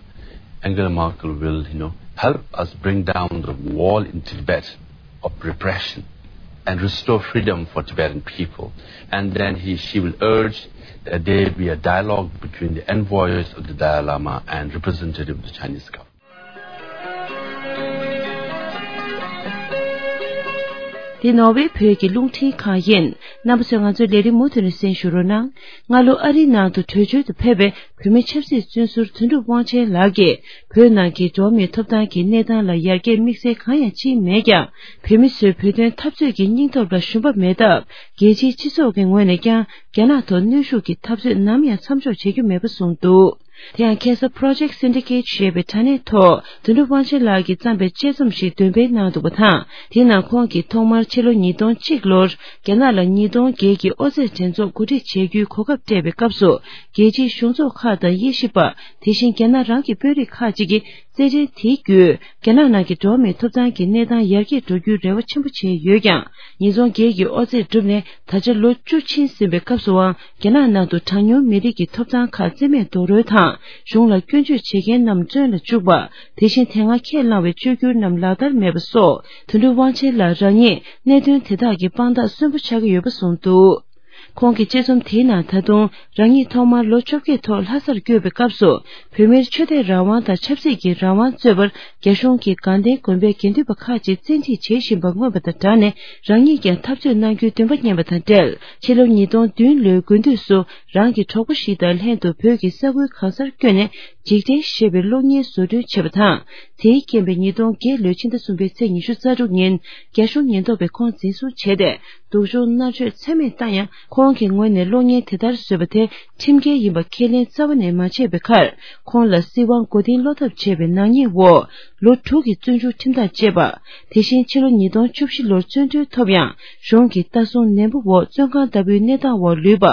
Angela Merkel will, you know, help us bring down the wall in Tibet of repression and restore freedom for Tibetan people. And then he, she will urge that there be a dialogue between the envoys of the Dalai Lama and representative of the Chinese government. འདི་ནོར་ཝེ་བོད་ཀྱི་རླུང་འཕྲིན་ཁང་ཡིན། རྣམ་པ་ཚོས་ང་ཚོའི་ལས་རིམ་མུ་མཐུད་ནས་གསན་ཞུ་རོགས་གནང་། སྔ་ལོ་ཨ་རིའི་ནང་དུ་བྲོས་བྱོལ་དུ་ཕེབས་པའི་བོད་མི་ཆབ་སྲིད་བཙོན་ཟུར་དོན་གྲུབ་དབང་ཆེན་ལགས་ཀྱིས། བོད་ནང་གི་འགྲོ་བ་མིའི་ཐོབ་ཐང་གི་གནས་སྟངས་ལ་ཡར་རྒྱས་དམིགས་བསལ་གང་ཡང་ཕྱིན་མེད་ཀྱང་། བོད་མི་ཚོས་བོད་དོན་འཐབ་རྩོད་ཀྱི་སྙིང་སྟོབས་ལ་ཞུམ་པ་མེད་སྟབས། རྒྱལ་སྤྱིའི་སྤྱི་ཚོགས་ཀྱི་ངོས་ནས་ཀྱང་། རྒྱ་ནག་ཐོག་གནོན་ཤུགས་ཀྱི་འཐབ་རྩོད་ནམ་ཡང་མཚམས་འཇོག་བྱེད་རྒྱུ་མེད་པ་གསུངས་འདུག་དེ་ཡང་ཁ་སང་Project Syndicate་ཞེས་པའི་དྲ་གནས་ཐོག་དོན་གྲུབ་དབང་ཆེན་ལགས་ཀྱིས་བརྩམས་པའི་དཔྱད་རྩོམ་ཞིག་འདོན་སྤེལ་གནང་འདུག་པ་དང་། དེའི་ནང་ཁོང་གིས་ཐོག་མར་ཕྱི་ལོ་ཉིས་སྟོང་གཅིག་ལོར་རྒྱ་ནག་ལ་ཉིས་སྟོང་བརྒྱད་ཀྱི་ཨོ་རྩེད་འགྲན་ཚོགས་གོ་སྒྲིག་བྱེད་རྒྱུའི་གོ་སྐབས་སྤྲད་པའི་སྐབས་སུ། རྒྱལ་སྤྱིའི་གཞུང་ཚོགས་ཁག་དང་དབྱེ་ཞིབ་པ། དེ་བཞིན་རྒྱ་ནག་རང་གི་དཔོན་རིགས་ཁག་ཅིག་གིས། རྩེད་འགྲན་དེའི་བརྒྱུད། རྒྱ་ནག་ནང་གི་འགྲོ་བ་མིའི་ཐོབ་ཐང་གི་གནས་སྟངས་ཡར་རྒྱས་འགྲོ་རྒྱུའི་རེ་བ་ཆེན་པོ་བྱས་ཡོད་ཀྱང་། ཉིས་སྟོང་བརྒྱད་ཀྱི་ཨོ་རྩེད་གྲུབ་ནས་ད་ཆ་ལོ་བཅུ་ཕྱིན་ཟིན་པའི་སྐབས་སུའང་། རྒྱ་ནག་ནང་དུ་གྲངས་ཉུང་མི་རིགས་ཀྱི་ཐོབ་ཐང་ཁག་རྩིས་མེད་རྡོག་རོལ་དང་། གཞུང་ལ་སྐྱོན་བརྗོད་བྱེད་མཁན་རྣམས་བཙོན་ལ་བཅུག་པ། དེ་བཞིན་དེ་སྔ་ཁས་བླངས་པའི་བཅོས་བསྒྱུར་རྣམས་ལག་བསྟར་མེད་པ་སོགས། དོན་གྲུབ་དབང་ཆེན་ལགས་རང་ཉིད་གནད་དོན་དེ་དག་གི་དཔང་རྟགས་གསོན་པོ་ཆགས་ཀྱི་ཡོད་པ་གསུངས་འདུག་ཁོང་གི་དཔྱད་རྩོམ་དེའི་ནང་ད་དུང་རང་ཉིད་ཐོག་མར་ལོ་བཅོ་བརྒྱད་ཐོག་ལྷ་སར་བསྐྱོད་པའི་སྐབས་སུ། བོད་མིར་ཆོས་དད་རང་དབང་དང་ཆབ་སྲིད་ཀྱི་རང་དབང་རྩོད་པར་རྒྱ་གཞུང་གིས་དགའ་ལྡན་དགོན་པའི་དགེ་འདུན་པ་ཁག་ཅིག་བཙན་ཁྲིད་བྱེད་བཞིན་པ་མངོན་པ་དང་སྦྲགས་ནས། རང་ཉིད་ཀྱང་འཐབ་རྩོད་གནང་རྒྱུའི་འདུན་པ་རྙེད་པ་དང་འབྲེལ། ཕྱི་ལོ་ཉིས་སྟོང་བདུན་ལོའི་དགུན་དུས་སུ་རང་གི་གྲོགས་པོ་ཞིག་དང་ལྷན་དུ་བོད་ཀྱི་ས་ཁུལ་གང་སར་བསྐྱོད་ནས། འཇིག་རྟེན་ཞེས་པའི་གློག་བརྙན་བཟོ་སྐྲུན་བྱས་པ་དང་། དེའི་རྐྱེན་པས་ཉིས་སྟོང་བརྒྱད་ལོའི་ཕྱི་ཟླ་གསུམ་པའི་ཚེས་ཉི་ཤུ་རྩ་དྲུག་ཉིན། རྒྱ་གཞུང་ཉེན་རྟོག་པས་ཁོང་འཛིན་བཟུང་བྱས་ཏེ། སྡུག་སྦྱོང་མནར་གཅོད་ཚད་མེད་བཏང་ཡང་། ཁོང་གི་ངོས་ནས་གློག་བརྙན་དེ་ལྟར་བཟོས་པ་དེ་ཁྲིམས་འགལ་ཡིན་པ་ཁས་ལེན་རྩ་བ་ནས་མ་བྱས་པའི་ཁར། ཁོང་ལ་སྲིད་དབང་མགོ་རྟིང་སློག་ཐབས་བྱས་པའི་ནག་ཉེས་འོག་ལོ་དྲུག་གི་བཙོན་འཇུག་ཁྲིམས་ཐག་བཅད་པ། དེ་བཞིན་ཕྱི་ལོ་ཉིས་སྟོང་བཅུ་བཞི་ལོར་བཙོན་གྲོལ་ཐོབ་ཡང་། གཞུང་གི་ལྟ་སྲུང་ནན་པོ་འོག་བཙོན་ཁང་ལྟ་བུའི་གནས་སྟངས་འོག་ལུས་པ།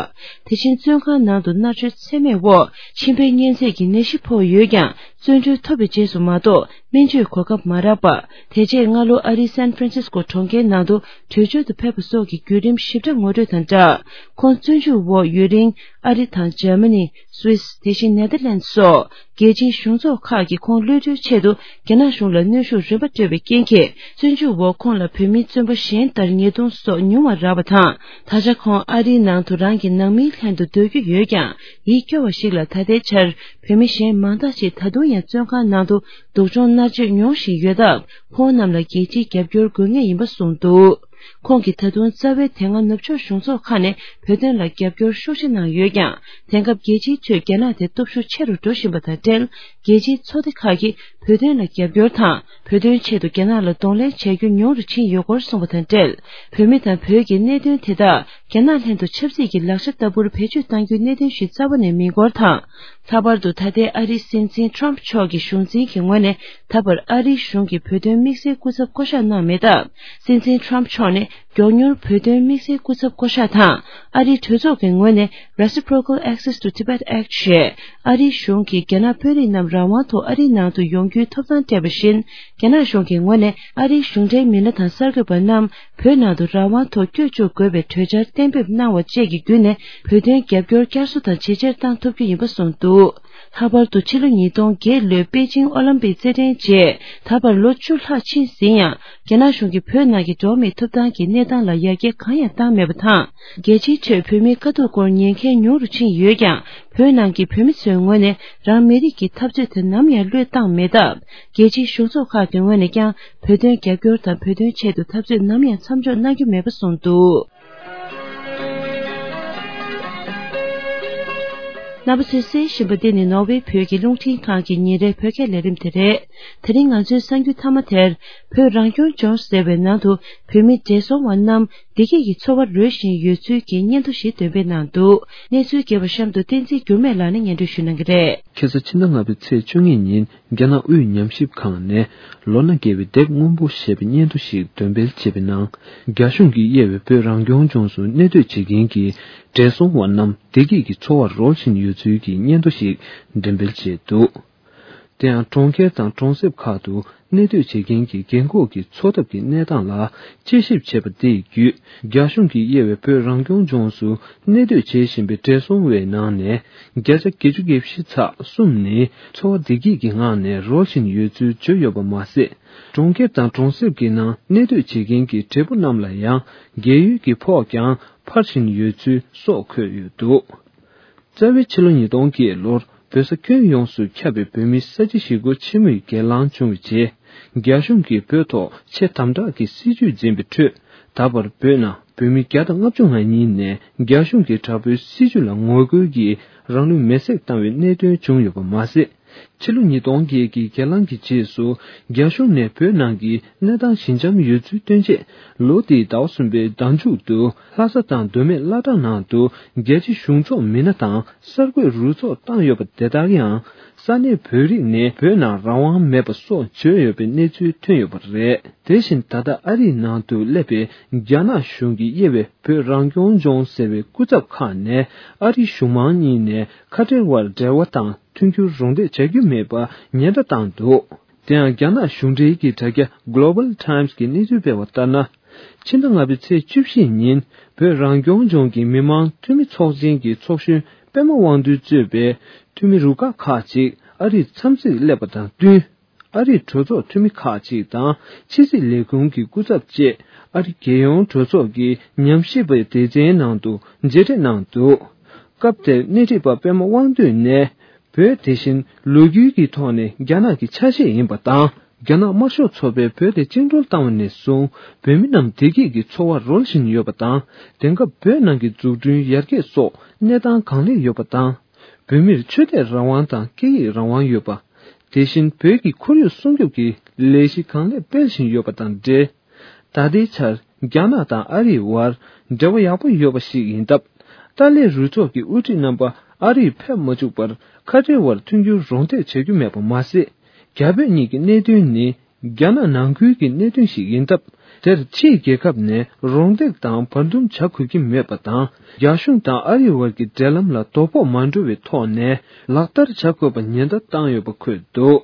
དེ་བཞིན་བཙོན་ཁང་ནང་དུ་མནར་གཅོད་ཚད་མེད་འོག་མཆིན་པའི་གཉན་ཚད་ཀྱི་ནད་གཞི་ཕོག་ཡོད་ཀྱང་། བཙོན་གྲོལ་ཐོབ་པའི་རྗེས་སུ་མ་གཏོགས། སྨན་བཅོས་གོ་སྐབས་མ་རག་པ། དེ་རྗེས་སྔ་ལོ་ཨ་རིའི་སན་ཧྥ་རན་སིས་ཀོ་གྲོང་ཁྱེར་ནང་དུ་བྲོས་བྱོལ་དུ་ཕེབས་པ་སོགས་ཀྱི་བརྒྱུད་རིམ་ཞིབ་ཕྲ་ངོ་སྤྲོད་དང་སྦྲགས། ཁོང་བཙོན་འཇུག་འོག་ཡུན་རིང་ཨ་རི་དང་འཇར་མ་ནི། སུད་སི། དེ་བཞིན་ནེ་དར་ལན་སོགས་རྒྱལ་སྤྱིའི་གཞུང་ཚོགས་ཁག་གིས་ཁོང་གློད་གྲོལ་ཆེད་དུ་རྒྱ་ནག་གཞུང་ལ་གནོན་ཤུགས་རིམ་པ་སྤྲོད་པའི་རྐྱེན་གྱིས། བཙོན་འཇུག་འོག་ཁོང་ལ་བོད་མིའི་བཙོན་པ་གཞན་ལྟར་ཉེས་རྡུང་སོགས་ཉུང་བ་རག་པ་དང་། ད་ཆ་ཁོང་ཨ་རིའི་ནང་དུ་རང་གི་ནང་མིའི་ལྷན་དུ་སྡོད་རྒྱུ་ཡོད་ཀྱང་། ཡིད་སྐྱོ་བ་ཞིག་ལ་ད་ལྟའི་ཆར། བོད་མི་གཞན་མང་དག་ཅིག་ད་དུང་ཡང་བཙོན་ཁང་ནང་དུ་སྡུག་སྦྱོང་མནར་གཅོད་མྱོང་བཞིན་ཡོད་སྟབས། ཁོང་རྣམས་ལ་རྒྱལ་སྤྱིའི་རྒྱབ་སྐྱོར་དགོས་ངེས་ཡིན་པ་གསུངས་འདུག་ཁོང་གིས་ད་དུང་རྩ་བའི་དེ་སྔ་ནུབ་ཕྱོགས་གཞུང་ཚོགས་ཁག་ནས་བོད་དོན་ལ་རྒྱབ་སྐྱོར་ཤུགས་ཆེ་གནང་ཡོད་ཀྱང་། དེང་སྐབས་རྒྱལ་སྤྱིའི་ཁྲོད་རྒྱ་ནག་དེ་སྟོབས་ཤུགས་ཆེ་རུ་འགྲོ་བཞིན་པ་དང་འབྲེལ། རྒྱལ་སྤྱིའི་ཚོགས་སྡེ་ཁག་གིས་བོད་དོན་ལ་རྒྱབ་སྐྱོར་དང་། བོད་དོན་ཆེད་དུ་རྒྱ་ནག་ལ་གདོང་ལེན་བྱ་རྒྱུ་ཉུང་རུ་ཕྱིན་ཡོད་སྐོར་གསུངས་པ་དང་འབྲེལ། བོད་མི་དང་བོད་ཀྱི་གནད་དོན་དེ་དག་རྒྱ་ནག་ལྷན་དུ་ཆབ་སྲིད་ཀྱི་ལག་ཆ་ལྟ་བུར་བེད་སྤྱོད་གཏང་རྒྱུའི་གནད་དོན་ཞིག་རྩ་བ་ནས་མིན་སྐོར་དང་། ལྷག་པར་དུ་ད་ལྟའི་ཨ་རིའི་སྲིད་འཛིན་ཊརམ་ཕི་མཆོག་གི་གཞུང་འཛིན་གྱི་ངོས་ནས་ད་བར་ཨ་རིའི་གཞུང་གིས་བོད་དོན་དམིགས་བསལ་སྐུ་ཚབ་བསྐོ་གཞག་གནང་མེད་སྟབས། སྲིད་འཛིན་ཊརམ་ཕི་མཆོག་ནས་མགྱོགས་མྱུར་བོད་དོན་དམིགས་བསལ་སྐུ་ཚབ་བསྐོ་གཞག་དང་། ཨ་རིའི་གྲོས་ཚོགས་ཀྱི་ངོས་ནས་Reciprocal Access to Tibet Act ཞེས་ཨ་རིའི་གཞུང་གིས་རྒྱ་ནག་དཔོན་རིགས་རྣམས་རང་དབང་ཐོག་ཨ་རིའི་ནང་དུ་ཡོང་རྒྱུའི་ཐོབ་ཐང་སྤྲད་པ་བཞིན། རྒྱ་ནག་གཞུང་གི་ངོས་ནས་ཨ་རིའི་གཞུང་འབྲེལ་མི་སྣ་དང་གསར་འགོད་པ་རྣམས་བོད་ནང་དུ་རང་དབང་ཐོག་བསྐྱོད་བཅུག་དགོས་པའི་གྲོས་འཆར་གཏན་འབེབས་གནང་བ་བཅས་ཀྱི་བརྒྱུད་ནས། བོད་དོན་རྒྱབ་སྐྱོར་བསྐྱར་གསོ་དང་ཇེ་ཆེར་བཏང་ཐུབ་རྒྱུ་ཡིན་པ་གསུངས་འདུག་ལྷག་པར་དུ་ཕྱི་ལོ་ཉིས་སྟོང་བརྒྱད་ལོའི་པེ་ཅིང་ཨོ་ལིམ་པིག་རྩེད་འགྲན་རྗེས་ད་བར་ལོ་བཅུ་ལྷག་ཕྱིན་ཟིན་ཡང་། རྒྱ་ནག་གཞུང་གིས་བོད་ནང་གི་འགྲོ་བ་མིའི་ཐོབ་ཐང་གི་གནས་སྟངས་ལ་ཡར་རྒྱས་གང་ཡང་བཏང་མེད་པ་དང་། རྒྱལ་སྤྱིའི་ཁྲོད་བོད་མིའི་དཀའ་སྡུག་སྐོར་ཉན་མཁན་ཉུང་རུ་ཕྱིན་ཡོད་ཀྱང་། བོད་ནང་གི་བོད་མི་ཚོའི་ངོས་ནས་རང་མི་རིགས་ཀྱི་འཐབ་རྩོད་དེ་ནམ་ཡང་བློས་བཏང་མེད་སྟབས། རྒྱལ་སྤྱིའི་གཞུང་ཚོགས་ཁག་གི་ངོས་ནས་ཀྱང་བོད་དོན་རྒྱབ་སྐྱོར་དང་། བོད་དོན་ཆེད་དུ་འཐབ་རྩོད་ནམ་ཡང་མཚམས་འཇོག་གནང་རྒྱུ་མེད་པ་གསུངས་འདུག་རྣམ་པ་ཚོས་གསན་བཞིན་པ་འདི་ནི་ནོར་ཝེ་བོད་ཀྱི་རླུང་འཕྲིན་ཁང་གི་ཉིན་རེའི་བོད་སྐད་ལས་རིམ་དེ་རེད། དེ་རིང་ང་ཚོའི་གསར་འགྱུར་མཐའ་མ་དེར། བོད་རང་སྐྱོང་ལྗོངས་ཟེར་བའི་ནང་དུ་བོད་མི་བགྲེས་སོང་བ་རྣམས་བདེ་སྐྱིད་ཀྱི་འཚོ་བ་རོལ་བཞིན་ཡོད་ཚུལ་གྱི་སྙན་ཐོ་ཞིག་འདོན་སྤེལ་གནང་འདུག་གནས་ཚུལ་རྒྱས་པ་གཤམ་དུ་བསྟན་འཛིན་འགྱུར་མེད་ལགས་ནས་སྙན་སྒྲོན་ཞུ་གནང་གི་རེད། ཁ་སང་ཕྱི་ཟླ་ལྔ་པའི་ཚེས་བཅུ་གཉིས་ཉིན་རྒྱ་ནག་དབུས་ཉམས་ཞིབ་ཁང་ནས་ལོ་ན་རྒས་པའི་དེབ་སྔོན་པོ་ཞེས་པའི་སྙན་ཐོ་ཞིག་འདོན་སྤེལ་བྱས་པའི་ནང་། རྒྱ་གཞུང་གིས་དབྱེ་བའི་བོད་རང་སྐྱོང་ལྗོངས་སུ་གནས་སྡོད་བྱེད་མཁན་གྱི་བགྲེས་སོང་བ་རྣམས་བདེ་སྐྱིད་ཀྱི་འཚོ་བར་རོལ་བཞིན་ཡོད་ཚུལ་གྱི་སྙན་ཐོ་ཞིག་འགྲེམས་སྤེལ་བྱས་འདུག་དེ་ཡང་གྲོང་ཁྱེར་དང་གྲོང་གསེབ་ཁག་ཏུ་གནས་སྡོད་བྱེད་མཁན་གྱི་རྒན་འཁོགས་ཀྱི་འཚོ་ཐབས་ཀྱི་གནས་སྟངས་ལ་དཔྱད་ཞིབ་བྱས་པ་དེ་བརྒྱུད། རྒྱ་གཞུང་གིས་དབྱེ་བའི་བོད་རང་སྐྱོང་ལྗོངས་སུ་གནས་སྡོད་བྱེད་བཞིན་པའི་བགྲེས་སོང་བའི་ནང་ནས་བརྒྱ་ཆ་བརྒྱད་ཅུ་གྱ་བཞི་ཚེག་གསུམ་ནི་འཚོ་བ་བདེ་སྐྱིད་ཀྱི་ངང་ནས་རོལ་བཞིན་ཡོད་ཚུལ་བརྗོད་ཡོད་པ་མ་ཟད། གྲོང་ཁྱེར་དང་གྲོང་གསེབ་ཀྱི་ནང་གནས་སྡོད་བྱེད་མཁན་གྱི་བགྲེས་པོ་རྣམས་ལ་ཡང་རྒས་ཡོལ་གྱི་ཕོགས་ཀྱང་འཕར་བཞིན་ཡོད་ཚུལ་སོགས་འཁོད་ཡོད་འདུག་རྩ་བའི་ཕྱི་ལོ་ཉིས་སྟོང་བརྒྱད་ལོར་བོད་ས་ཁྱོན་ཡོངས་སུ་ཁྱབ་པའི་བོད་མིའི་ས་བྱི་ཞི་རྒོལ་ཆེན་མོའི་སྒེར་ལངས་བྱུང་བའི་རྗེས། རྒྱ་གཞུང་གིས་བོད་ཐོག་ཆེས་དམ་དྲག་གི་སྲིད་བྱུས་འཛིན་པའི་ཁྲོད། ད་བར་བོད་ནང་བོད་མི་བརྒྱ་དང་ལྔ་བཅུ་ང་གཉིས་ནས་རྒྱ་གཞུང་གི་དྲག་པོའི་སྲིད་བྱུས་ལ་ངོ་རྒོལ་གྱིས་རང་ལུས་མེར་སྲེག་བཏང་བའི་གནད་དོན་བྱུང་ཡོད་པ་མ་ཟད། ཕྱི་ལོ་ཉིས་སྟོང་བརྒྱད་ཀྱི་སྒེར་ལངས་ཀྱི་རྗེས་སུ། རྒྱ་གཞུང་ནས་བོད་ནང་གི་གནས་སྟངས་ཞི་འཇམ་ཡོད་ཚུལ་སྟོན་ཆེད། ལོ་འདིའི་ཟླ་བ་གསུམ་པའི་ཟླ་མཇུག་ཏུ་ལྷ་ས་དང་མདོ་སྨད་བླ་བྲང་ནང་དུ་རྒྱལ་སྤྱིའི་གཞུང་ཚོགས་མི་སྣ་དང་གསར་འགོད་རུ་ཚོགས་བཏང་ཡོད་པ་དེ་དག་ཡང་ས་གནས་བོད་རིགས་ནས་བོད་ནང་རང་དབང་མེད་པ་སོགས་བརྗོད་ཡོད་པའི་གནས་ཚུལ་ཐོན་ཡོད་པ་རེད། དེ་བཞིན་ད་ལྟ་ཨ་རིའི་ནང་དུ་སླེབས་པའི་རྒྱ་ནག་གཞུང་གིས་དབྱེ་བའི་བོད་རང་སྐྱོང་ལྗོངས་ཟེར་བའི་སྐུ་ཚབ་ཁག་ནས་ཨ་རིའི་གཞུང་མང་གཉིས་ནས་ཁ་བྲལ་བར་འབྲེལ་བ་དང་མཐུན་འགྱུར་རོགས་འདེགས་བྱ་རྒྱུ་མེད་པ་ཉེན་བརྡ་བཏང་འདུག་དེ་ཡང་རྒྱ་ནག་གཞུང་འབྲེལ་གྱི་དྲ་རྒྱ་Global Times་གིས་གནས་ཚུལ་སྤེལ་བ་ལྟར་ན། ཕྱི་ཟླ་ལྔ་པའི་ཚེས་བཅུ་བཞི་ཉིན་བོད་རང་སྐྱོང་ལྗོངས་ཀྱི་མི་དམངས་འཐུས་མི་ཚོགས་ཆེན་གྱི་ཚོགས་གཞོན་པད་མ་དབང་འདུས་གཙོས་པའི་འཐུས་མི་རུ་ཁག་ཁག་ཅིག་ཨ་རིར་འཚམས་གཟིགས་སླེབས་པ་དང་བསྟུན། ཨ་རིའི་གྲོས་ཚོགས་འཐུས་མི་ཁག་ཅིག་དང་ཕྱི་སྲིད་ལས་ཁུངས་ཀྱི་སྐུ་ཚབ་བཅས་ཨ་རི་རྒྱལ་ཡོངས་གྲོས་ཚོགས་ཀྱི་ཉམས་ཞིབ་པའི་སྡེ་ཚན་ནང་དུ་མཇལ་འཕྲད་གནང་འདུག་སྐབས་དེར་སྣེ་ཁྲིད་པ་པད་མ་དབང་འདུས་ནས། བོད་དེ་བཞིན་ལོ་རྒྱུས་ཀྱི་ཐོག་ནས་རྒྱ་ནག་གི་ཆ་ཤས་ཡིན་པ་དང་། རྒྱ་ནག་དམར་ཤོག་ཚོགས་པས་བོད་དེ་བཅིངས་འགྲོལ་བཏང་བ་ནས་བཟུང་བོད་མི་རྣམས་བདེ་སྐྱིད་ཀྱི་འཚོ་བ་རོལ་བཞིན་ཡོད་པ་དང་། དེང་སྐབས་བོད་ནང་གི་འཛུགས་སྐྲུན་ཡར་རྒྱས་སོགས་གནས་སྟངས་གང་ལེགས་ཡོད་པ་དང་། བོད་མིར་ཆོས་དད་རང་དབང་དང་སྐད་ཡིག་རང་དབང་ཡོད་པ། དེ་བཞིན་བོད་ཀྱི་ཁོར་ཡུག་སྲུང་སྐྱོབ་ཀྱི་ལས་གཞི་གང་ལེགས་སྤེལ་བཞིན་ཡོད་པ་དང་འབྲེལ། ད་ལྟའི་ཆར་རྒྱ་ནག་དང་ཨ་རིའི་བར་འབྲེལ་བ་ཡག་པོ་ཡོད་པ་ཞིག་ཡིན་སྟབས། ཏཱ་ལའི་རུ་ཚོགས་ཀྱི་དབུ་ཁྲིད་རྣམ་པ་ཨ་རིར་ཕེབས་མ་བཅུག་པར་ཁ་བྲལ་བར་མཐུན་འགྱུར་རོགས་འདེགས་བྱ་རྒྱུ་མེད་པ་མ་ཟད། རྒྱ་བོད་གཉིས་ཀྱི་གནད་དོན་ནི་རྒྱ་ནག་ནང་ཁུལ་གྱི་གནད་དོན་ཞིག་ཡིན་སྟབས། དེར་ཕྱིའི་རྒྱལ་ཁབ་ནས་རོགས་འདེགས་དང་བར་འདུམ་བྱ་དགོས་ཀྱི་མེད་པ་དང་། རྒྱ་གཞུང་དང་ཨ་རིའི་བར་གྱི་འབྲེལ་ལམ་ལ་དོ་ཕོག་མ་འགྲོ་བའི་ཐོག་ནས་ལག་བསྟར་བྱ་དགོས་པ་ཉེན་བརྡ་བཏང་ཡོད་པ་འཁོད་འདུག་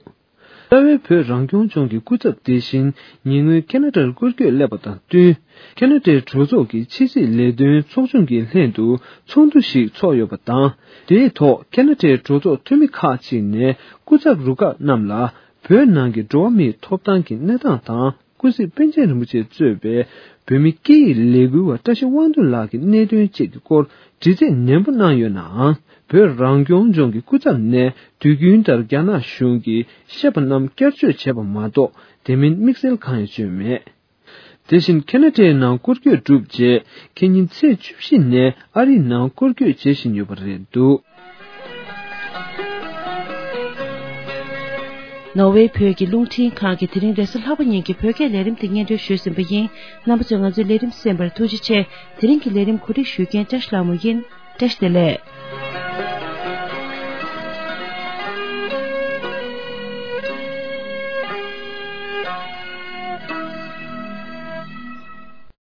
རྩ་བའི་བོད་རང་སྐྱོང་ལྗོངས་ཀྱི་སྐུ་ཚབ་དེ་བཞིན་ཉེ་སྔོན་ཁེ་ན་ཌར་སྐོར་སྐྱོད་སླེབས་པ་དང་བསྟུན། ཁེ་ན་ཌའི་གྲོས་ཚོགས་ཀྱི་ཕྱི་སྲིད་ལས་དོན་ཚོགས་ཆུང་གི་ལྷན་དུ་ཚོགས་འདུ་ཞིག་ཚོགས་ཡོད་པ་དང་། དེའི་ཐོག་ཁེ་ན་ཌའི་གྲོས་ཚོགས་འཐུས་མི་ཁག་ཅིག་ནས་སྐུ་ཚབ་རུ་ཁག་རྣམས་ལ་བོད་ནང་གི་འགྲོ་བ་མིའི་ཐོབ་ཐང་གི་གནས་སྟངས་དང་། སྐུ་སྲིད་པཎ་ཆེན་རིན་པོ་ཆེ་གཙོས་པའི་བོད་མི་སྐད་ཡིག་ལས་འགུལ་བ་བཀྲ་ཤིས་དབང་འདུས་ལགས་ཀྱི་གནད་དོན་བཅས་ཀྱི་སྐོར་དྲི་རྩད་ནན་པོ་གནང་ཡོད་ནའང་། བོད་རང་སྐྱོང་ལྗོངས་ཀྱི་སྐུ་ཚབ་ནས་དུས་རྒྱུན་ལྟར་རྒྱ་ནག་གཞུང་གིས་བཤད་པ་རྣམས་བསྐྱར་བརྗོད་བྱས་པ་མ་གཏོགས་དེ་མིན་དམིགས་བསལ་གང་ཡང་བརྗོད་མེད། དེ་བཞིན་ཁེ་ན་ཌའི་ནང་སྐོར་སྐྱོད་གྲུབ་རྗེས་ཁེ་ཉིན་ཚེས་བཅུ་བཞི་ནས་ཨ་རིའི་ནང་སྐོར་སྐྱོད་བྱེད་བཞིན་ཡོད་པ་རེད་འདུག། ནོར་ཝེ་བོད་ཀྱི་རླུང་འཕྲིན་ཁང་གིས་དེ་རིང་རེས་གཟའ་ལྷག་པ་ཉིན་གྱི་བོད་སྐད་ལས་རིམ་དེ་སྙན་སྒྲོན་ཞུས་ཟིན་པ་ཡིན། རྣམ་པ་ཚོས་ང་ཚོའི་ལས་རིམ་གསན་པར་ཐུགས་རྗེ་ཆེ། དེ་རིང་གི་ལས་རིམ་གོ་སྒྲིག་ཞུ་མཁན་བཀྲ་ཤིས་ལྷ་མོ་ཡིན། བཀྲ་ཤིས་བདེ་ལེགས།